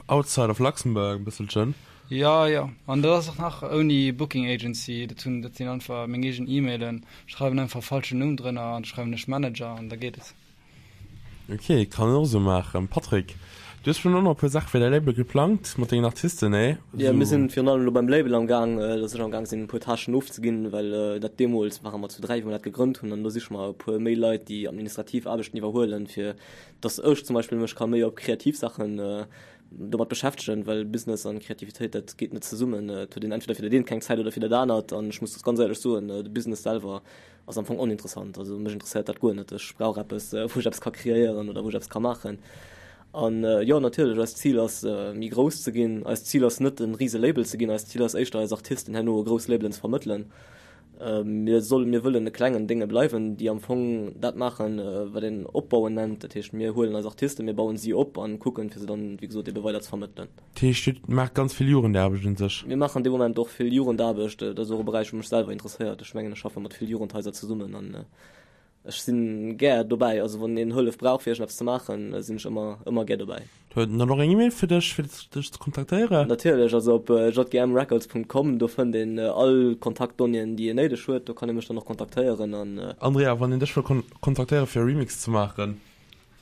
outside of Luxembourg e bësselchen? Jo, jo. An dat ass och nach ouni Booking Agency. Dat hunn, dat sinn einfach meng eegen E-Mailen. Ech schreiwen einfach falschen Numm drënner an da schreiwen ech Manager an da geet et. Ok, kann een och esou maachen. Patrick, du hues schonn och nach e puer Saache fir däi Label geplangt mat dengen Artisten, nee? Jo, mir sinn virun allem elo beim Label am Gaang, dass ech am Gaang sinn e puer Tâchen ofzeginn, well dat deemools ware mer zu 3 wéi mer dat gegrënnt hunn an elo siche mer e puer méi Leit déi administrativ Aarbechten iwwerhuelen, fir dass ech zum Beispill mech ka méi op kreativ Saachen domat beschäftegen, well Business an Kreativitéit dat geet net zesummen. Et huet een entweder fir dat eent keng Zäit oder fir dat anert an ech muss ganz éierlech soen, de Business selwer Ass am Fong oninteressant. Also mech interesséiert dat guer net. Ech brauch eppes, wou ech eppes ka kreéieren oder wou ech eppes ka maachen. An jo, natierlech, eist Zil ass, méi grouss ze ginn. Eist Zil ass net, e rise Label ze ginn. Eist Zil ass éischter, eis Artisten herno a grouss Labelen ze vermëttelen. Mir solle, mir wëllen e klengen Dénge bleiwen, déi am Fong dat maachen, wat een opbauen nennt. Dat heescht, mir huelen eis Artisten, mir bauen si op an kucken, fir se dann, wéi gesot, ebe weider ze vermëttelen. Dat heescht, Dir maacht ganz vill Jugendaarbecht un sech? Mir maachen dee Moment och vill Jugendaarbecht. Dat ass och e Beräich, wou mech selwer interesséiert. Ech mengen, ech schaffe mat vill Jugendhaiser zesummen an ech si gär dobäi. Also wann een Hëllef brauch, fir iergendeppes ze maachen, sinn ech ëmmer, ëmmer gär dobäi. Huet en dann och eng E-Mail fir dech, fir dech ze kontaktéieren? Natierlech, also op jgmrecords.com, do fënnt een all Kontaktdonnéeën, déi een néideg huet. Do kann ee mech dann och kontaktéieren an. Andrea, wann een dech wëll kontaktéieren, fir e Remix ze maachen?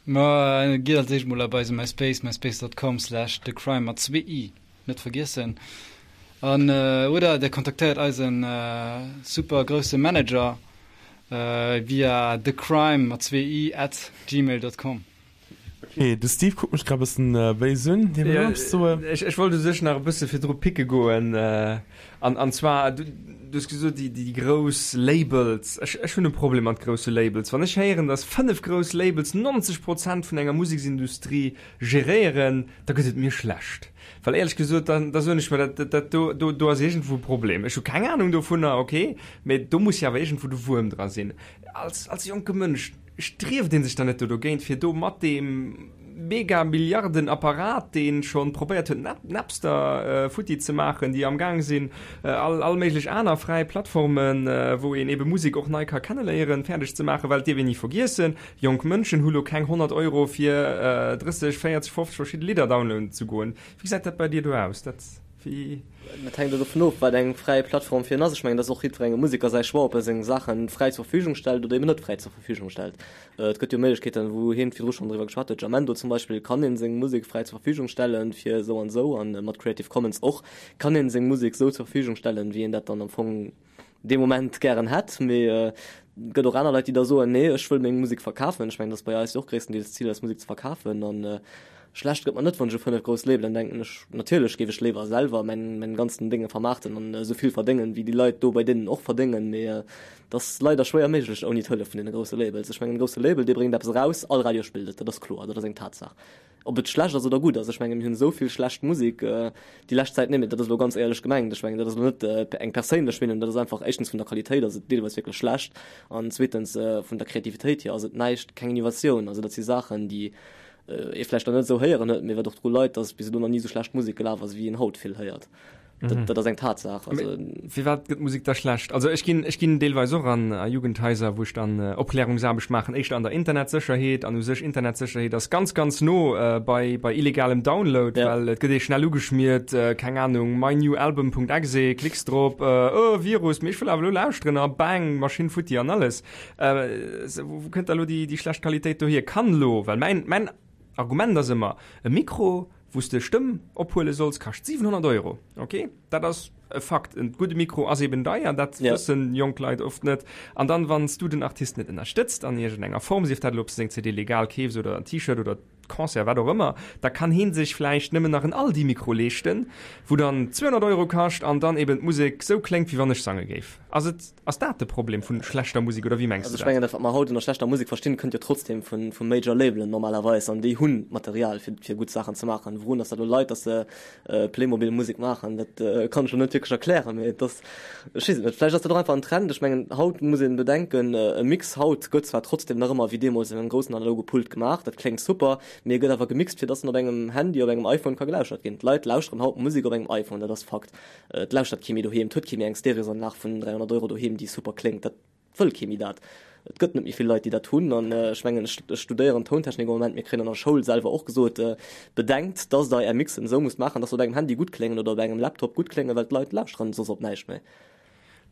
Ma gitt als éischt mol op eise MySpace, myspace.com slash thecrime mat zwee i, net vergiessen. An oder der kontaktéiert eisen super grousse Manager via thecrime mat zwee i at gmail.com. Ok, de Steve kuckt mech grad e bëssen béis un, dee wëll och eppes soen. Ech wollt u sech nach e bësse virdru picke goen. An, an zwar, du, du hues gesot, déi, déi grouss Labels. Ech, ech hunn e Problem mat grousse Labels. Wann ech héieren, datt 5 grouss Labels 90 Prozent vun enger Museksindustrie geréieren, da gëtt et mir schlecht. Well éierlech gesot, da, da soen ech mer, dat, dat, dat do, do, do ass iergendwou e Problem. Ech hu keng Anung dovunner, okay, mä do muss jo awer iergendwou de Wuerm dra sinn. Als, als jonke Mënsch strieft ee sech dann net do dogéint, fir do mat deem Mega-Milliarden-Apparat, dee schonn probéiert huet, Napster futti ze maachen, déi am Gaang sinn, all all méiglech aner fräi Plattformen, wou een ebe Musek och nei ka kenneléieren, fäerdeg ze maachen. Well et dierf een ni vergiessen, jonk Mënschen hu lo keng 100 Euro fir 30, 40, 50 verschidde Lidder downloaden ze goen. Wéi gesäit dat bei dir do aus? Dat, wéi. Dat hänkt jo dovun of, wat eng fräi Plattform fir en ass. Ech mengen, dat ass och jiddwerengem Museker säi Choix, ob e seng Saache fräi zur Verfügung stellt oder eben net fräi zur Verfügung stellt. Et gëtt jo Méiglechkeeten, wou hien virdru schonn driwwer geschwat huet, Jamendo zum Beispill kann een seng Musek fräi zur Verfügung stellen fir esou an esou an mat Creative Commons och kann een seng Musek esou zur Verfügung stellen, wéi een dat dann am Fong dee Moment gären hätt. Mee et gëtt och aner Leit, déi da soen, nee ech wëll meng Musek verkafen. Ech mengen, dat ass bei eis jo och gréisstendeels d'Zil, eis Musek ze verkafen an schlecht gëtt mer net, wann ech u 5 grouss Labelen denken. Ech, natierlech géif ech léiwer selwer mäin, mäin ganzen Dénge vermaarten an esou vill verdéngen, wéi déi Leit do bei deenen och verdéngen, mee Dat ass leider schwéier méiglech ouni d'Hëllef vun deene grousse Labels. Ech mengen, e grousse Label, dee bréngt eppes eraus, all Radio spillt et, dat ass kloer, dat ass eng Tatsaach. Ob et schlecht ass oder gutt ass, ech mengen, mir hunn esou vill schlecht Musek déi lescht Zäit, nee, mee dat ass elo ganz éierlech gemengt, ech mengen, dat ass elo net eng perséinlech Meenung, dat ass einfach, éischtens vun der Qualitéit ass et deelweis wierklech schlecht an zweetens vun der Kreativitéit hier ass et näischt, keng Innovatioun. Also dat si Saachen, déi ee vläicht dann net esou héieren huet, mee wat och dru leit, datt bis elo nach ni esou schlecht Musek gelaf ass, wéi een haut vill héiert. Dat, dat ass eng Tatsaach. Also, Firwat gëtt Musek da schlecht? Also ech ginn, ech ginn deelweis och an a Jugendhaiser, wou ech dann äh, Opklärungsaarbecht maachen, éischter an der Internetsécherheet. An u sech Internetsécherheet ass ganz, ganz no äh, bei, bei illegalem Download, ja. well et gëtt ee schnell ugeschmiert, äh, keng Ahnung, mynewalbum.exe, klicks drop, äh, oh, Virus, mee ech wëll awer elo lauschteren a bang, Maschinn futti an alles. Äh, wou, wou kënnt da lo déi, déi schlecht Qualitéit dohier? Kann lo, well mäin, mäin Argument ass ëmmer, e Mikro, wou s de Stëmm ophuele solls, kascht 700 Euro. Ok, dat ass e Fakt. En gudde Mikro ass eben deier, dat ja. wëssen jonk Leit oft net. An dann, wann s du den Artist net ënnerstëtzt an iergendenger Form, sief dat elo, ob s de seng CD legal keefs oder en T-Shirt oder Concert, wat och ëmmer, da kann heen sech vläicht nëmmen nach en Aldi-Mikro leeschten, wou dann 200 Euro kascht an dann eben d'Musek sou kléngt, wéi wann ech sange géif. Ass et Ass dat de Problem vun schlechter Musek oder wéi mengs du dat? Also ech mengen dat wat mer haut ënner schlechter Musek verstinn kënnt jo trotzdem vun vu Major Labelen normalerweis an déi hunn d'Material fir fir gutt Saachen ze maachen. Wourun ass dat elo leit, datt se Playmobil Musek maachen, dat kann ech elo net wierklech erklären, mee et ass, ech weess et net, vläicht ass dat och einfach en Trend. Ech mengen haut muss een bedenken, e Mix haut gëtt zwar trotzdem nach ëmmer wéi deemools an engem groussen analoge Pult gemaach, dat kléngt super, mee e gëtt awer gemixt fir datt en op engem Handy, op engem iPhone ka gelauschert ginn. D'Leit lauschteren haut Musek op engem iPhone, dat ass Fakt. Et lauschtert kee méi doheem, et huet kee méi eng Stereosanlag vun 300 Euro doheem, déi super kléngt. Dat. wëll kee méi dat. Et gëtt net méi vill Leit, déi dat hunn. An ech mengen, ech studéieren Tountechnik am Moment, mir kréien an der Schoul selwer och gesot, Bedenkt, dass Der Är Mixen esou musst maachen, dass se op engem Handy gutt kléngen oder op engem Laptop gutt kléngen, well d'Leit lauschteren soss op näischt méi.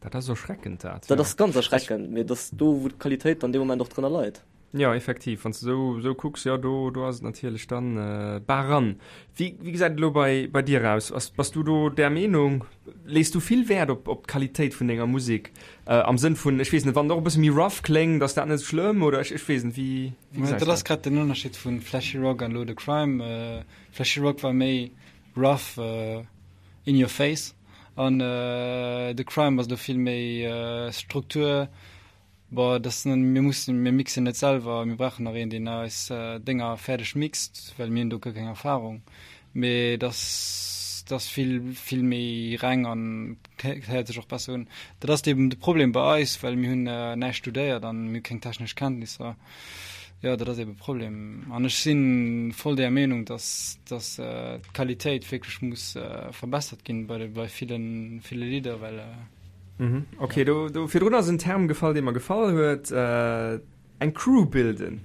Dat ass erschreckend, dat. Dat ass ganz erschreckend, mee et ass do, wou d'Qualitéit dann dee Moment och drënner leit. Jo, effektiv, wann s de esou, esou kucks, jo, do, do ass et natierlech dann bar ran. Wéi, wéi gesäit et elo bei, bei dir aus? Ass, bass du do där Meenung? Lees du vill Wäert op, op d'Qualitéit vun denger Musek? Am Sënn vun, ech weess net, wann et och e bësse méi rough kléngt, ass dat net esou schlëmm oder ech, ech weess net, wéi, wéi gesäis Dat du ass dat? grad den Ënnerscheed vu Flashy Rock an elo The Crime. Flashy Rock war méi rough, in your face an The Crime ass elo vill méi Struktur. Bon, dass mir mussen, mir mixen net selwer, mir brauchen nach een, deen eis Dénger fäerdeg mixt, well mir hunn do guer keng Erfahrung. Mee dass dass vill, vill méi reng an héiert sech och besser un. Dat ass eben de Problem bei eis, well mir hunn näischt studéiert an mir hu keng technesch Kenntnisser. Jo, dat ass eben e Problem. An ech si voll där Meenung, dass dass d'Qualitéit wierklech muss verbessert ginn bei de bei villen, ville Lidder, well. Mhm. Okay, do, do virdrun ass en Term gefall, dee mer gefall huet, äh, eng Crew bilden.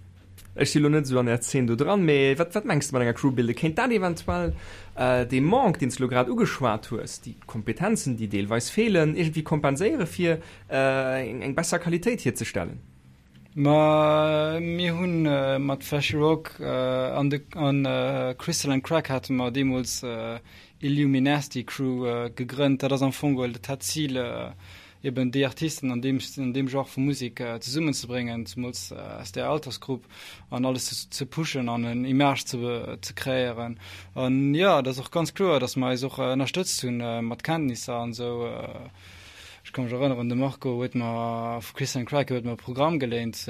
Ech si lo net esou an der Zeen do dran, mee wat, wat mengs de mat enger Crew bilden? Kéint dat eventuell äh, dee Manque, deen s de lo grad ugeschwat hues, déi Kompetenzen, déi deelweis feelen, iergendwéi kompenséiere fir äh, eng, eng besser Qualitéit hierzestellen? Ma mir hunn mat Flashy Rock an de an Crystal and Crack hate mer deemools Illuminasty Crew gegrënnt. Dat ass am Fong geholl, dat hat d'Zil eben déi Artisten an deem an deem Genre vu Musek zesummen ze bréngen, zemools aus där Altersgrupp an alles ze pushen an en Image ze ze kreéieren. An jo, et ass och ganz kloer, datt mer eis och ënnerstëtzt hunn mat Kenntnisser an esou. Ech ka mech erënneren, de Marco huet mer, vu Christian Crack, huet mer e Programm geléint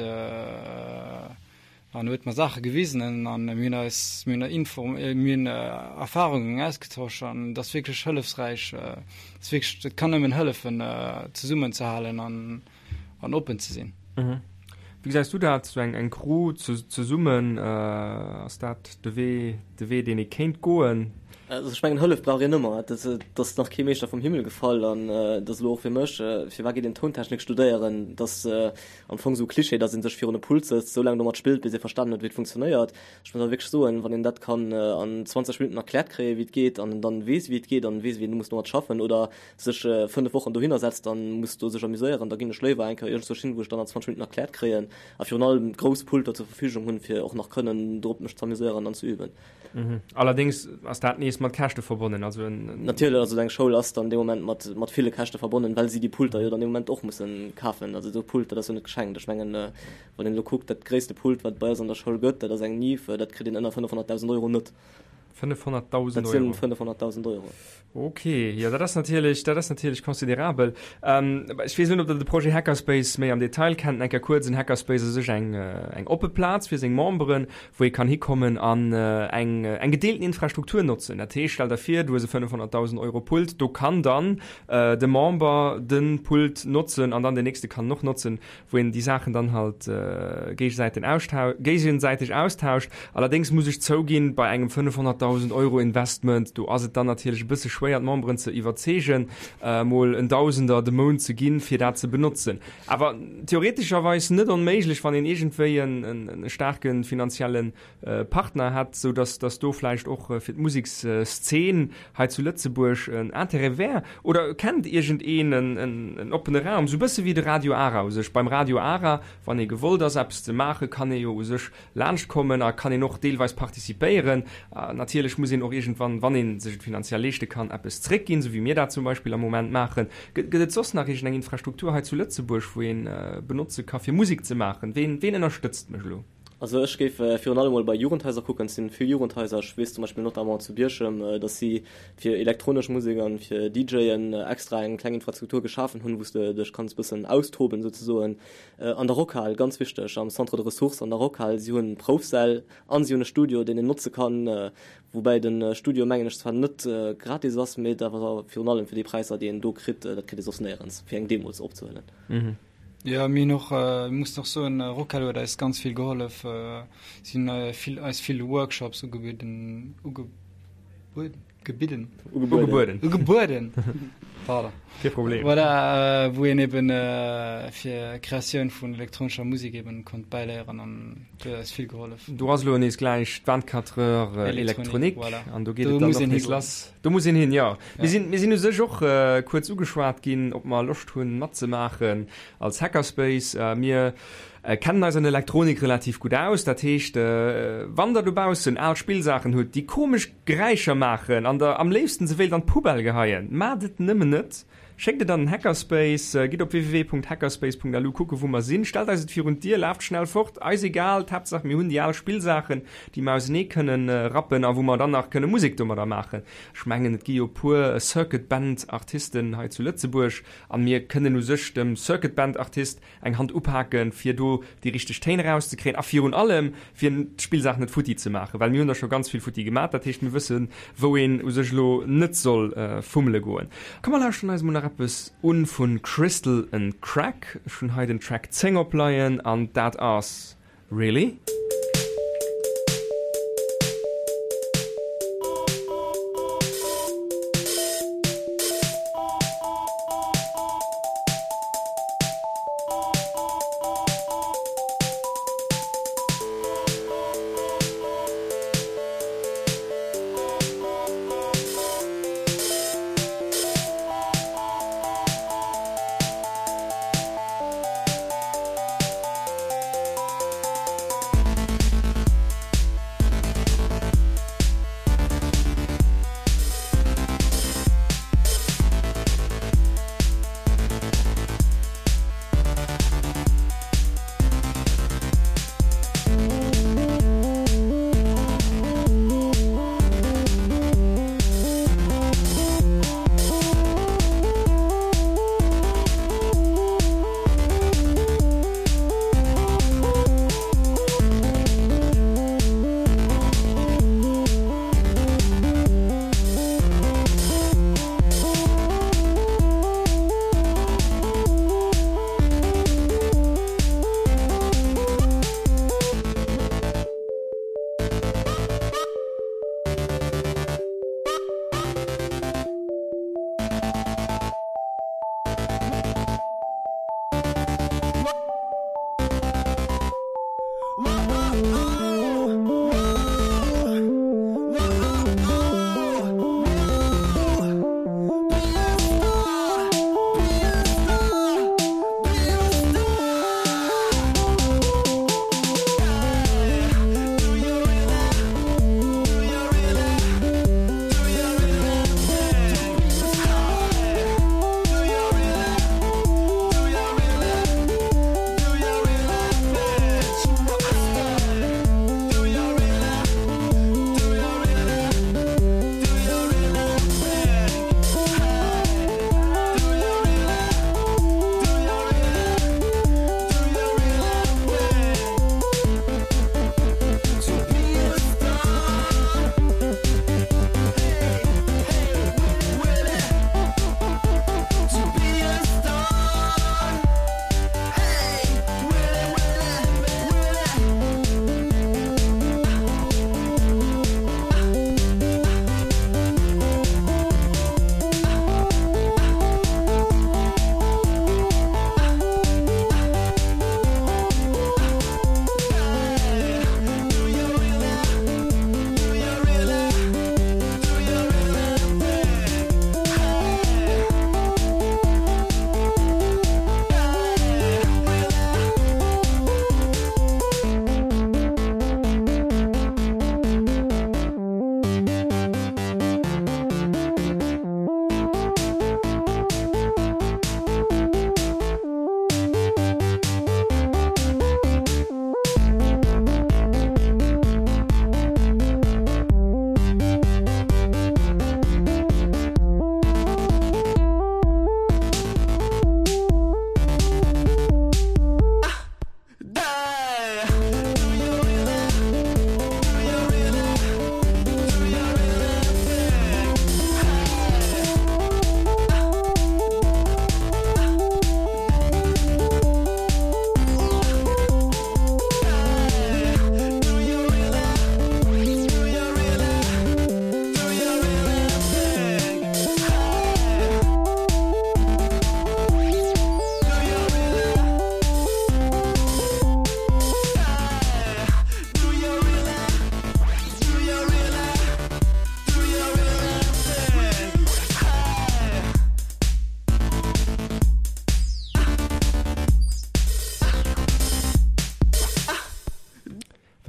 an huet mer Saache gewisen an mir hunn eis, mir hunn Info, mir hunn Erfarungen ausgetosch an et ass wierklech hëllefsräich. Et ass wierklech, et kann nëmmen hëllefen zesummenzehalen an an oppen ze sinn. Wéi gesäis du dat, sou eng eng Crew zesummen, ass dat de Wee, de Wee deen ee kéint goen? Also ech mengen Hëllef brauch een ëmmer, et ass nach kee Meeschter vum Himmel gefall an et ass elo och fir mech, firwat geet een Tountechnik studéieren, et ass am Fong sou Klischee, datt ee sech virun e Pult sëtzt, sou laang domat spillt bis ee verstanen huet wéi et funktionéiert. Ech muss awer wierklech soen, wann een dat kann an 20 Minutten erkläert kréien wéi et geet an en dann weess wéi et geet an weess wéi een muss domat schaffen oder sech 5 Wochen dohinner setzt an muss do sech amuséieren, da ginn ech léiwer eng Kéier iergendzwousch hin, wou ech dann an 20 Minutten erkläert kréien a virun allem grouss Pulter zur Verfügung hunn, fir och nach kënnen drop mech z'amuséieren an ze üben. Allerdéngs ass dat nees mat Käschte verbonnen, also en. Natierlech, also eng Schoul ass dann dee Moment mat mat ville Käschte verbonnen, well si déi Pulter jo dann dee Moment och mussen kafen. Also esou Pult, dat ass jo net geschenkt. Ech mengen, wann een elo kuckt, dat gréisste Pult, wat et bei eis an der Schoul gëtt, dat ass eng Neve, dat kritt een ënner 500.000 Euro net. 500.000 Dat sinn 500.000 Euro. Ok, jo dat ass natierlech, dat ass natierlech considerabel. Ähm, ech weess net, ob Der de Projet Hackerspace méi am Detail kennt. Eng Kéier kuerz, en Hackerspace ass u sech eng, eng oppe Plaz fir seng Memberen, wou ee kann hikommen an eng, eng gedeelten Infrastruktur notzen. Dat heescht, stell der vir, du hues e 500.000 Euro Pult, do kann dann de Member de Pult notzen an dann deen nächste kann en och notzen. wou een déi Saachen dann halt géigesäiteg austauscht. Allerdéngs muss ech zouginn, bei engem 500.000 Euro Investment, do ass et dann natierlech e bësse schwéier d'Memberen ze iwwerzeegen, mol en Dausender de Mount ze ginn, fir dat ze benotzen. Awer theoretescherweis net onméiglech, wann een iergendwéi e staarke finanzielle Partner hätt, sou dass dass do vläicht och fir d'Musekszeen hei zu Lëtzebuerg en Intérêt wär. Oder kennt iergendeen en en oppene Raum, sou bësse wéi de Radio Ara u sech. Beim Radio Ara, wann ee gewollt ass eppes ze maachen, kann ee jo u sech laanscht kommen a kann een och deelweis participéieren. Natierlech muss een och iergendwann, wann ee sech et finanziell leeschte kann, eppes zréckginn, sou wéi mir dat zum Beispill am Moment maachen. Gëtt et soss nach iergendeng Infrastruktur hei zu Lëtzebuerg, wou ee benotze ka fir Musek ze maachen? Ween ween ënnerstëtzt mech elo? Also ech géif virun allem mol bei Jugendhaiser kucken. Et sinn vill Jugendhaiser, ech weess zum Beispill notamment zu Bierchem, datt si fir elektronesch Musek an fir DJen extra eng kleng Infrastruktur geschafen hunn, wou s de dech kanns bëssen austoben souzesoen. An der Rockhal, ganz wichteg, am Centre de ressources an der Rockhal, si hunn Proufsäll an si hunn e Studio, deen een notze kann, woubäi de Studio mengen ech zwar net gratis ass, mee et awer virun allem fir déi Präisser, déi een do kritt, dat kritt ee soss néierens, fir eng Demo opzehuelen. Jo, mir hunn och, mussen och soen, Rockhal huet eis ganz vill gehollef. Si hunn vill, eis vill Workshops ugebidden, uge. Ugebueden? Gebidden? Ugebueden. Ugebueden! Pardon. Kee Problem. Voilà, wou een eben fir Kreatioun vun elektronescher Musek eben konnt bäiléieren an do huet eis vill gehollef. Do ass elo nees gläich d'Vingt-quatre heures électronique voilà. An do geet et dann och nees lass. Do muss een hin, jo. Mir sinn, mir sinn u sech och kuerz ugeschwat ginn, ob mer Loscht hunn matzemaachen als Hackerspace. Mir kennen eis an Elektronik relativ gutt aus. Dat heescht, wann der dobaussen al Spillsaachen hutt, déi komesch Geräischer maachen an der am léifsten se wéilt an d'Poubelle geheien, maacht et nëmmen net. Schéckt et an den Hackerspace, gitt op www.hackerspace.lu kucke wou mer sinn, stellt eis et virun d'Dier, laaft schnell fort, eis egal, d'Haaptsaach mir hunn déi al Spillsaachen, déi mer ausenee kënnen rappen a wou mer dann nach kënne Musek domadder maachen. Ech mengen et gi jo puer Circuit Band Artisten hei zu Lëtzebuerg a mir kënnen u sech dem Circuit Band Artist eng Hand upaken, fir do déi richteg Téin erauszekréien a virun allem, fir d'Spillsaach net futti ze maachen, well mir hunn der scho ganz vill futti gemat, dat heescht, mir wëssen, wou een u sech elo net soll fummele goen. Komm mer lauschteren eis emol nach eppes un vu Crystal and Crack. Ech hunn hei den Track 10 opleien an dat ass Really?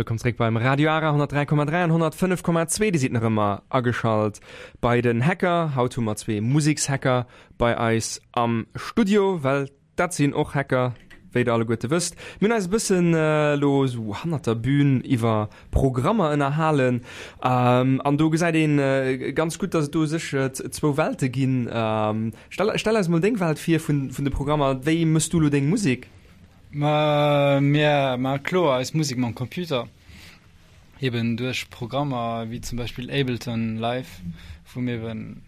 Wëllkomm zréck beim Radio Ara 103,3 an 105,2. Dir sidd nach ëmmer ageschalt bei den Hacker. Haut hu mer zwee Musekshacker bei eis am Studio, well dat sinn och Hacker, wéi der alleguerte wësst. Mir hunn eis e bëssen elo esou hannert der Bühn iwwer Programmer ënnerhalen. An do gesäit ee ganz gutt, dass et do u sech zwou Welte ginn. Stell, stell eis mol deng Welt vir vun, vun de Programmer. Wéi méchs du elo deng Musek? Ma mir maache kloer eis Musek mam Computer, eben duerch Programmer wéi zum Beispill Ableton Live, wou mir eben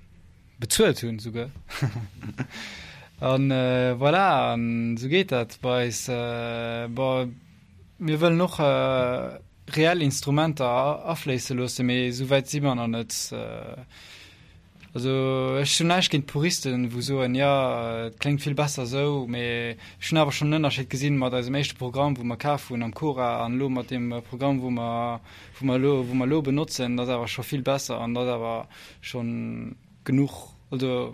bezuelt hunn souguer. An voilà, an esou geet dat bei eis. Bon, mir wëllen och reell Instrumenter afléisse loossen, mee esou wäit si mer nach net. Also ech hunn näischt géint Puristen, wou soen, jo et kléngt vill besser esou, mee ech hunn awer schonn en Ënnerscheed gesinn mat eisem éischte Programm, wou mer kaf hunn am Cora an elo mat deem Programm, wou mer, wou mer elo, wou mer elo benotzen, dat ass awer scho vill besser an dat ass awer schonn genuch. Also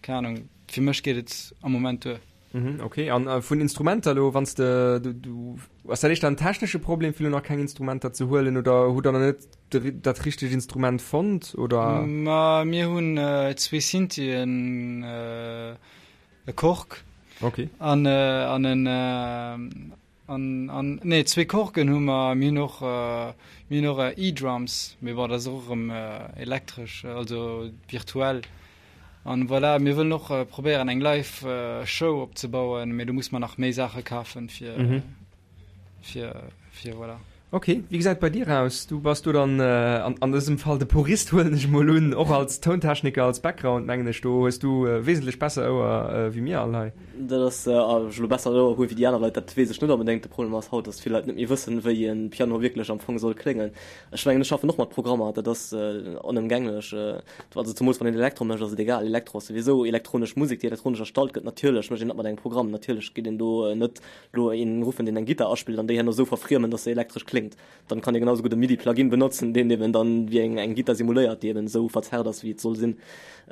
keng Ahnung, fir mech geet et am Moment duer. Mhm, okay. An äh, vun Instrumenter lo, wann de, du, du ass dat éischter en technesche Problem, fir lo nach keng Instrumenter ze huelen oder hutt der nach net de, dat richtegt Instrument fonnt oder? Ma mir hunn äh, zwee Synthien, äh, e Korg Okay. an, äh, an en äh, An, an, nee, zwee Korken hu mer, mir hunn och, mir hunn och E-Drums, mee bon, dat ass och erëm elektresch, also virtuell. An voilà, mir wëllen och probéieren eng live Show opzebauen, mee do muss mer nach méi Saache kafen, fir, fir, fir voilà. Ok, wéi gesäit et bei dir aus? Du bass do dann an, an dësem Fall de Purist, huelen ech mol un, och als Tountechniker, als Background, mengen ech, do hues du wesentlech besser Ouer wéi mir all hei. Dat ass, ob ech elo besser Ouer hu wéi déi aner Leit, dat weess ech net onbedéngt. De Problem ass haut, datt vill Leit net méi wëssen, wéi e Piano wierklech am Fong soll kléngen. Ech mengen, ech schaffen och mat Programmer, dat ass onëmgänglech. Also zemools wann een Elektro mécht, ass et egal. Elektro ass souwisou elektronesch Musek, déi elektronesch erstallt gëtt. Natierlech mécht een dat mat engem Programm, natierlech geet een do net elo een ruffen, deen eng Gittar aspillt an déi herno esou verfriemen, dass se elektresch kléngt, dann kann ee genau esou gutt e MIDI-Plugin benotzen, deen eben dann wéi eng eng Gittar simuléiert, déi eben esou verzerrt ass, wéi et soll sinn.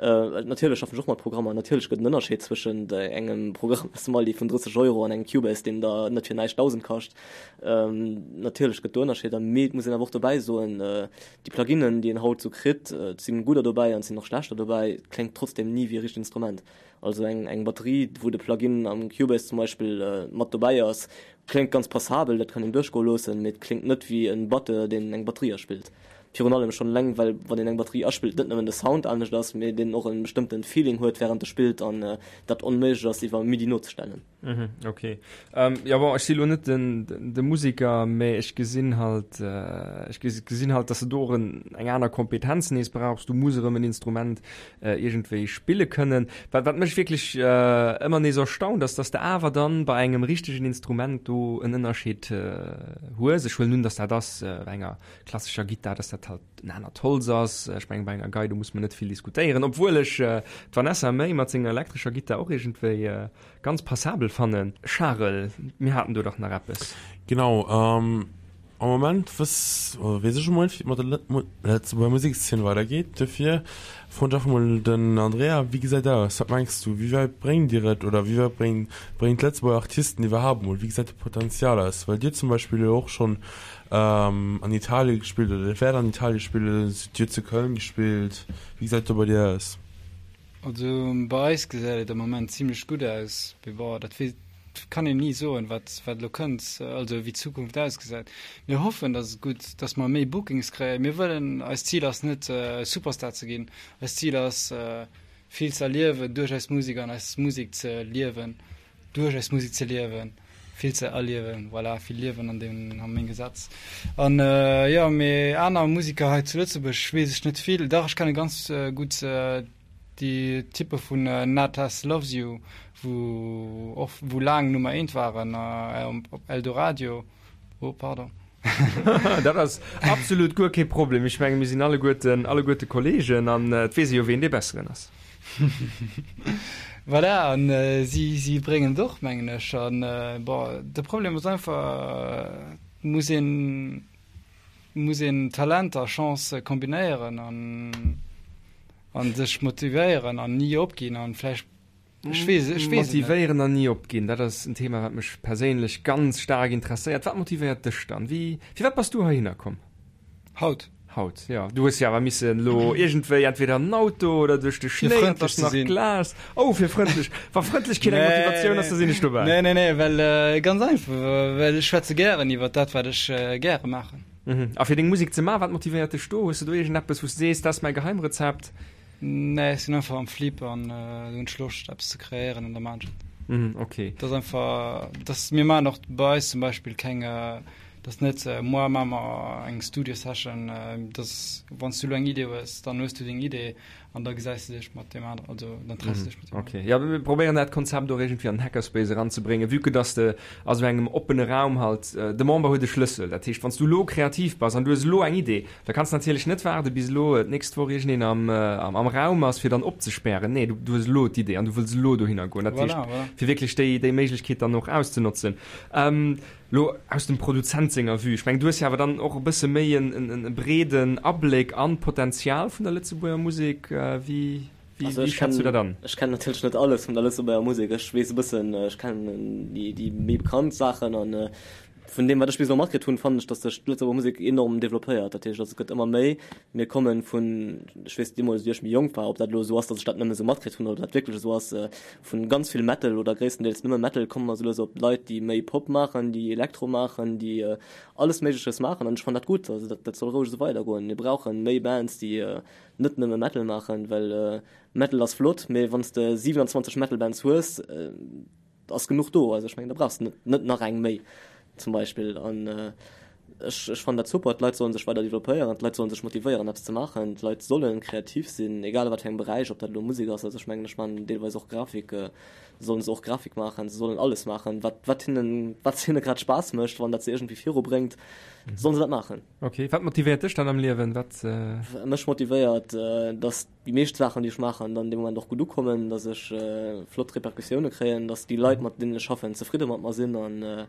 Natierlech schaffen ech och mat Programmer. Natierlech gëtt en Ënnerscheed zwëschent engem Programm aus dem Aldi vun 30 Euro an engem Cubase, deen der net fir näischt 1.000 kascht. Natierlech gëtt do Ënnerscheeder, mee et muss een awer och dobäi soen, déi Pluginen, déi een haut esou kritt, et sinn gudder dobäi an et sinn och schlechter dobäi, et kléngt trotzdem ni wéi e richtegt Instrument. Also eng eng Batterie, wou de Plugin am Cubase zum Beispill mat dobäi ass, kléngt ganz passabel, dat kann een duerchgoe loossen, mee et kléngt net wéi en Batteur, deen eng Batterie aspillt. Virun allem schonn eleng, well wann een eng Batterie aspillt, net nëmmen de Sound anescht ass, mee deen och e bestëmmte Feeling huet wärend e spillt an dat onméiglech ass iwwer MIDI nozestellen. Mhm, okay. Ähm, ja bon, ech si lo net den, den, de Musiker, mä ech gesinn halt, äh, ech gesinn halt, dass du do och en, eng aner Kompetenz nees brauchs. Du muss erëm en Instrument äh, iergendwéi spille kënnen. Wat, wat mech wierklech äh, ëmmer nees erstaunt, ass, dass de awer dann bei engem richtegen Instrument do en Ënnerscheed äh, hues. Ech huelen un, dass dat ass äh, bei enger klassescher Gittar, dass dat halt en anert Holz ass. Ech mengen, bei enger Gei, do muss mer net vill diskutéieren, obwuel ech äh, d'Vanessa Mae mat senger elektrescher Gittar och iergendwéi äh, Ganz passabel fannen. Charel, mir haten do dach nach eppes. Genau, am Moment wëss, oder weess ech emol net, wéi et mat der Lëtzebuerger Musekszeen weidergeet. Dofir froen ech einfach mol den Andrea, Wéi gesäit dat aus? Wat mengs du, wéi wäit bréngt Dir et oder wéi wäit bréngt, bréngt d'Lëtzebuerger Artisten iwwerhaapt emol, wéi gesäit de Potenzial aus? Well Dir zum Beispill jo och schonn an Italien gespillt oder Dir wäert an Italien spillen, Dir hutt zu Köln gespillt. Wéi gesäit et do bei dir aus? Also bei eis gesäit et am Moment zimlech gutt aus, mee bon, dat weess, kann een ni soen, wat, wat elo kënnt, also wéi d'Zukunft ausgesäit. Mir hoffen, dass et gutt, dass mer méi Bookings kréien. Mir wëllen, eist Zil ass net Superstar ze ginn, eist Zil ass vill ze erliewen duerch eis Musek an eis Musek ze liewen, duerch eis Musek ze liewen, vill ze erliewen, voilà, vill Liewen an deem, an menge Sätz. An jo, mee aner Musiker hei zu Lëtzebuerg weess ech net vill. Dach, ech kenne ganz gutt déi Typpe vun Natas Loves You, wou och, wou laang Nummer eent waren op Eldoradio. Oh, pardon. Dat ass absolut guer kee Problem. Ech menge mir sinn alleguerten, alleguerte Kollegen an et weess ee jo, ween dee Besseren ass. Voilà, an si, si bréngen et och, mengen ech. An bon, de Problem ass einfach, et muss een, muss een Talent a Chance kombinéieren an, an sech motivéieren an ni opginn an vläicht. Ech weess, ech weess et net. Motivéieren an ni opginn, dat ass en Thema, wat mech perséinlech ganz staark interesséiert. Wat motivéiert dech dann? Wéi, firwat bass du heihinner komm? Haut. Haut, jo. Du hues jo awer missen elo iergendwéi entweder en Auto oder duerch de Fir Schnéi, et frëndlech ass ze nach sinn. Glas. Oh, fir frëndlech. Wa Frëndlechkeet eng Motivatioun ass, da sinn ech dobäi. Nee, nee, nee, well ganz einfach, well ech schwätze gären iwwer dat, wat ech gäre maachen. A fir deng Musek ze maachen, wat motivéiert dech do? Hues de do iergendeppes, wou s de sees, dat ass mäi Geheimrezept? Nee, ech sinn einfach am Flip an do hunn ech Loscht eppes ze kreéieren an da maan ech et. Mhm, okay. Dat ass einfach, dass mir maachen och bei eis zum Beispill keng, dat ass net moar maache mer eng Studio Session, dass wann s du elo eng Idee hues, dann hues du deng Idee an da gesäis de dech mat deem aneren, also dann treffs de dech mat deem Okay, ja mir probéieren dat Konzept och iergendwéi an den Hackerspace eranzebréngen, vue que dass de a sou engem oppene Raum halt, de Member huet e Schlëssel, dat heescht wann s du elo kreativ bass an du hues elo eng Idee, Da kanns de natierlech net waarde bis elo d'nächst Woch iergendeen am, am Raum ass, fir dann opzespären. Nee, du, du hues elo d'Idee an du wëlls elo dohinner goen. Dat heescht, Voilà, voilà. fir wierklech déi, déi Méiglechkeet dann och auszenotzen. Ähm, lo aus dem Produzent senger Vue, ech mengen, du hues jo awer dann och e bësse méi en, en, en breeden Abléck an d'Potenzial vun der Lëtzebuerger Musek. Wéi, wéi, Also wéi ech schätz du kennen, dat an? ech kennen natierlech net alles vun der Lëtzebuerger Musek. Ech weess e bëssen, ech kennen déi, déi méi bekannt Saachen an Vun deem, wat ech bis elo matkritt hunn, fannen ech, datt sech d'Lëtzebuerger Musek enorm developpéiert. Dat heescht, also et gëtt ëmmer méi. Mir kommen vun, ech weess deemools, wéi ech méi jonk war, ob dat elo esou ass, datt ech dat nëmme esou matkritt hunn oder ob dat wierklech esou ass, vun ganz vill Metal oder gréisstendeels nëmme Metal komme mer esou lues op Leit, déi méi Pop maachen, déi Elektro maachen, déi alles Méigleches maachen. An ech fannen dat gutt. Also dat, dat soll roueg esou weidergoen. Mir brauche méi Bands, déi net nëmme Metal maachen, well Metal ass flott, mee wann s de 27 Metal-Bands hues, ass genuch do, also ech mengen da brauchs de net nach eng méi zum Beispill an ech ech fannen dat super, d'Leit sollen sech weider developpéieren, d'Leit sollen sech motivéieren eppes ze maachen, d'Leit sollen kreativ sinn, egal a wat fir engem Beräich, ob dat elo Musek ass, also ech mengen ech maachen deelweis och Grafik, sollen se och Grafik maachen, se sollen alles maachen wat wat hinnen wat hinne grad Spaass mécht, wann dat se iergendwéi viru bréngt, sollen se dat maachen. Ok, wat motivéiert dech dann am Liewen, wat? Mech motivéiert, dass déi meescht Saachen, déi ech maachen, dann dee Moment och gutt ukommen, dass ech flott Repercussioune kréien, dass déi Leit, mat deenen ech schaffen, zefridde mat mer sinn an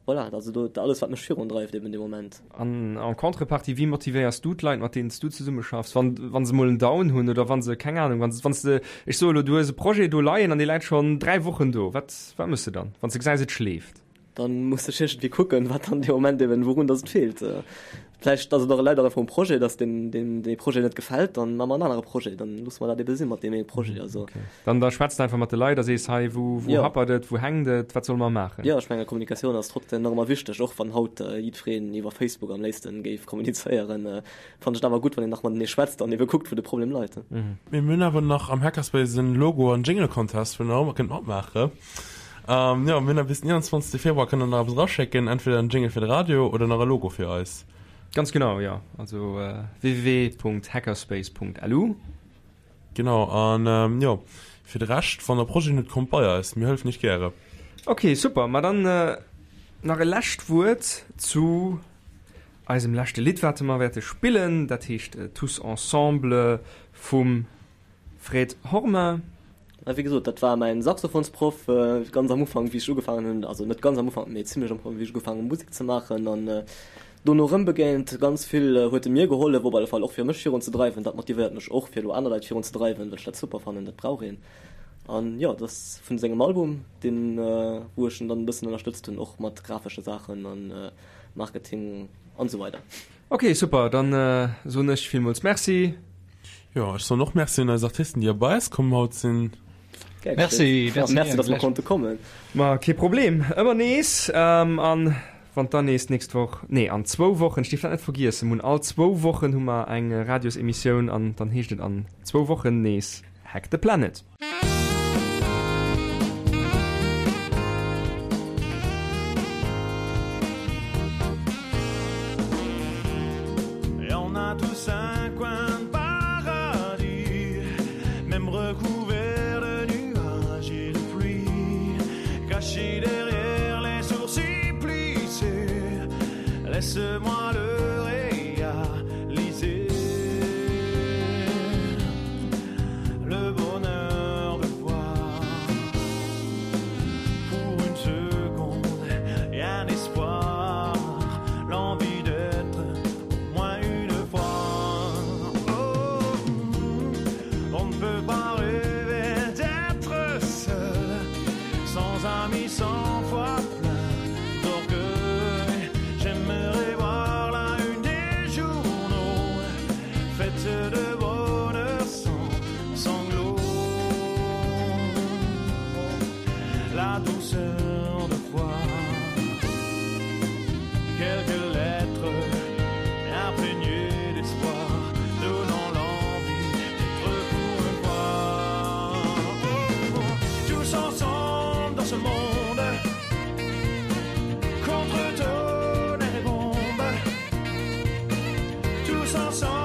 voilà, also do alles, wat mech virundreift eben dee Moment. An en contrepartie, wéi motivéiers du d'Leit, mat deenen s du zesummeschaffs, wann, wa se mol en Down hunn oder wa se, keng Anung, wann, wann s de, ech soe elo, du hues e Projet do leien an dee läit schonn 3 Wochen do, wat, wat méchs de dann, wann s de gesäis, et schleeft? Dann muss ech iergendwéi kucken, wat dann dee Moment eben, wourun dass et feelt. Vläicht ass et och läit och einfach um Projet, dass deem, deem dee Projet net gefält, dann maache mer en anere Projet, dann loosse mer dat ebe si mat deem ee Projet. Also. Okay. Dann da schwätzt einfach mat de Leit a sees, hei, wou, wou Jo. happert et, wou hänkt et, wat solle mer maachen? Jo, ech menge Kommunikatioun ass trotzdem nach ëmmer wichteg, och wann haut jiddwereen iwwer Facebook am léifsten géif kommunizéieren, fannen ech et awer gutt, wann een nach matenee schwätzt an ebe kuckt, wou de Problem leit. Mir hunn awer nach am Hackerspace en Logo an Jingle Contest, wou der och mol kënnt matmaachen. Ähm, jo, mir hunn nach bis den 21. Februar kënnt der nach eppes eraschécken, entweder en Jingle fir de Radio oder nach e Logo fir eis. Ganz genau, jo. Also www.hackerspace.lu. Genau, an ähm, jo, fir de Rescht, wann der Projeten hutt, kommt bei eis, mir hëllefen iech gäre. Ok, super. Ma dann nach e lescht Wuert zu eisem leschte Lidd, wat mer wäerte spillen. Dat heescht Tous ensemble vum Fred Horma. A wéi gesot, dat war mäin Saxophonsproff ganz am Ufank, wéi ech ugefaangen hunn, also net ganz am Ufank, mee zimlech am Ufank, wéi ech ugefaangen hunn Musek ze maachen. An dono erëm begéint. Ganz vill huet e mir gehollef, op alle Fall och fir mech virun ze dreiwen. Dat motivéiert mech och, fir elo aner Leit virun ze dreiwen, well ech dat super fannen, dat brauch een. An jo, dat ass vun sengem Album, deen, wou ech en dann e bëssen ënnerstëtzt hunn, och mat grafesche Saachen an Marketing an esou weider. Ok super, dann soen ech villmools Merci. Jo, ech soen och Merci un eis Artisten déi bei eis komm haut sinn. Gär Merci, geschéet. merci, Merci, dass mer konnte kommen. Ma kee Problem, ëmmer nees. An wann dann nees d'nächst Woch, nee an zwou Wochen, ech dierf dat net vergiessen, mir hunn all zwou Wochen hu mer eng Radiosemissioun an dann heescht et an zwou Wochen nees Hack the Planet. Laisse-moi le réaliser Le bonheur de voir Pour une seconde et un espoir L'envie d'être au moins une fois. Tous ensemble.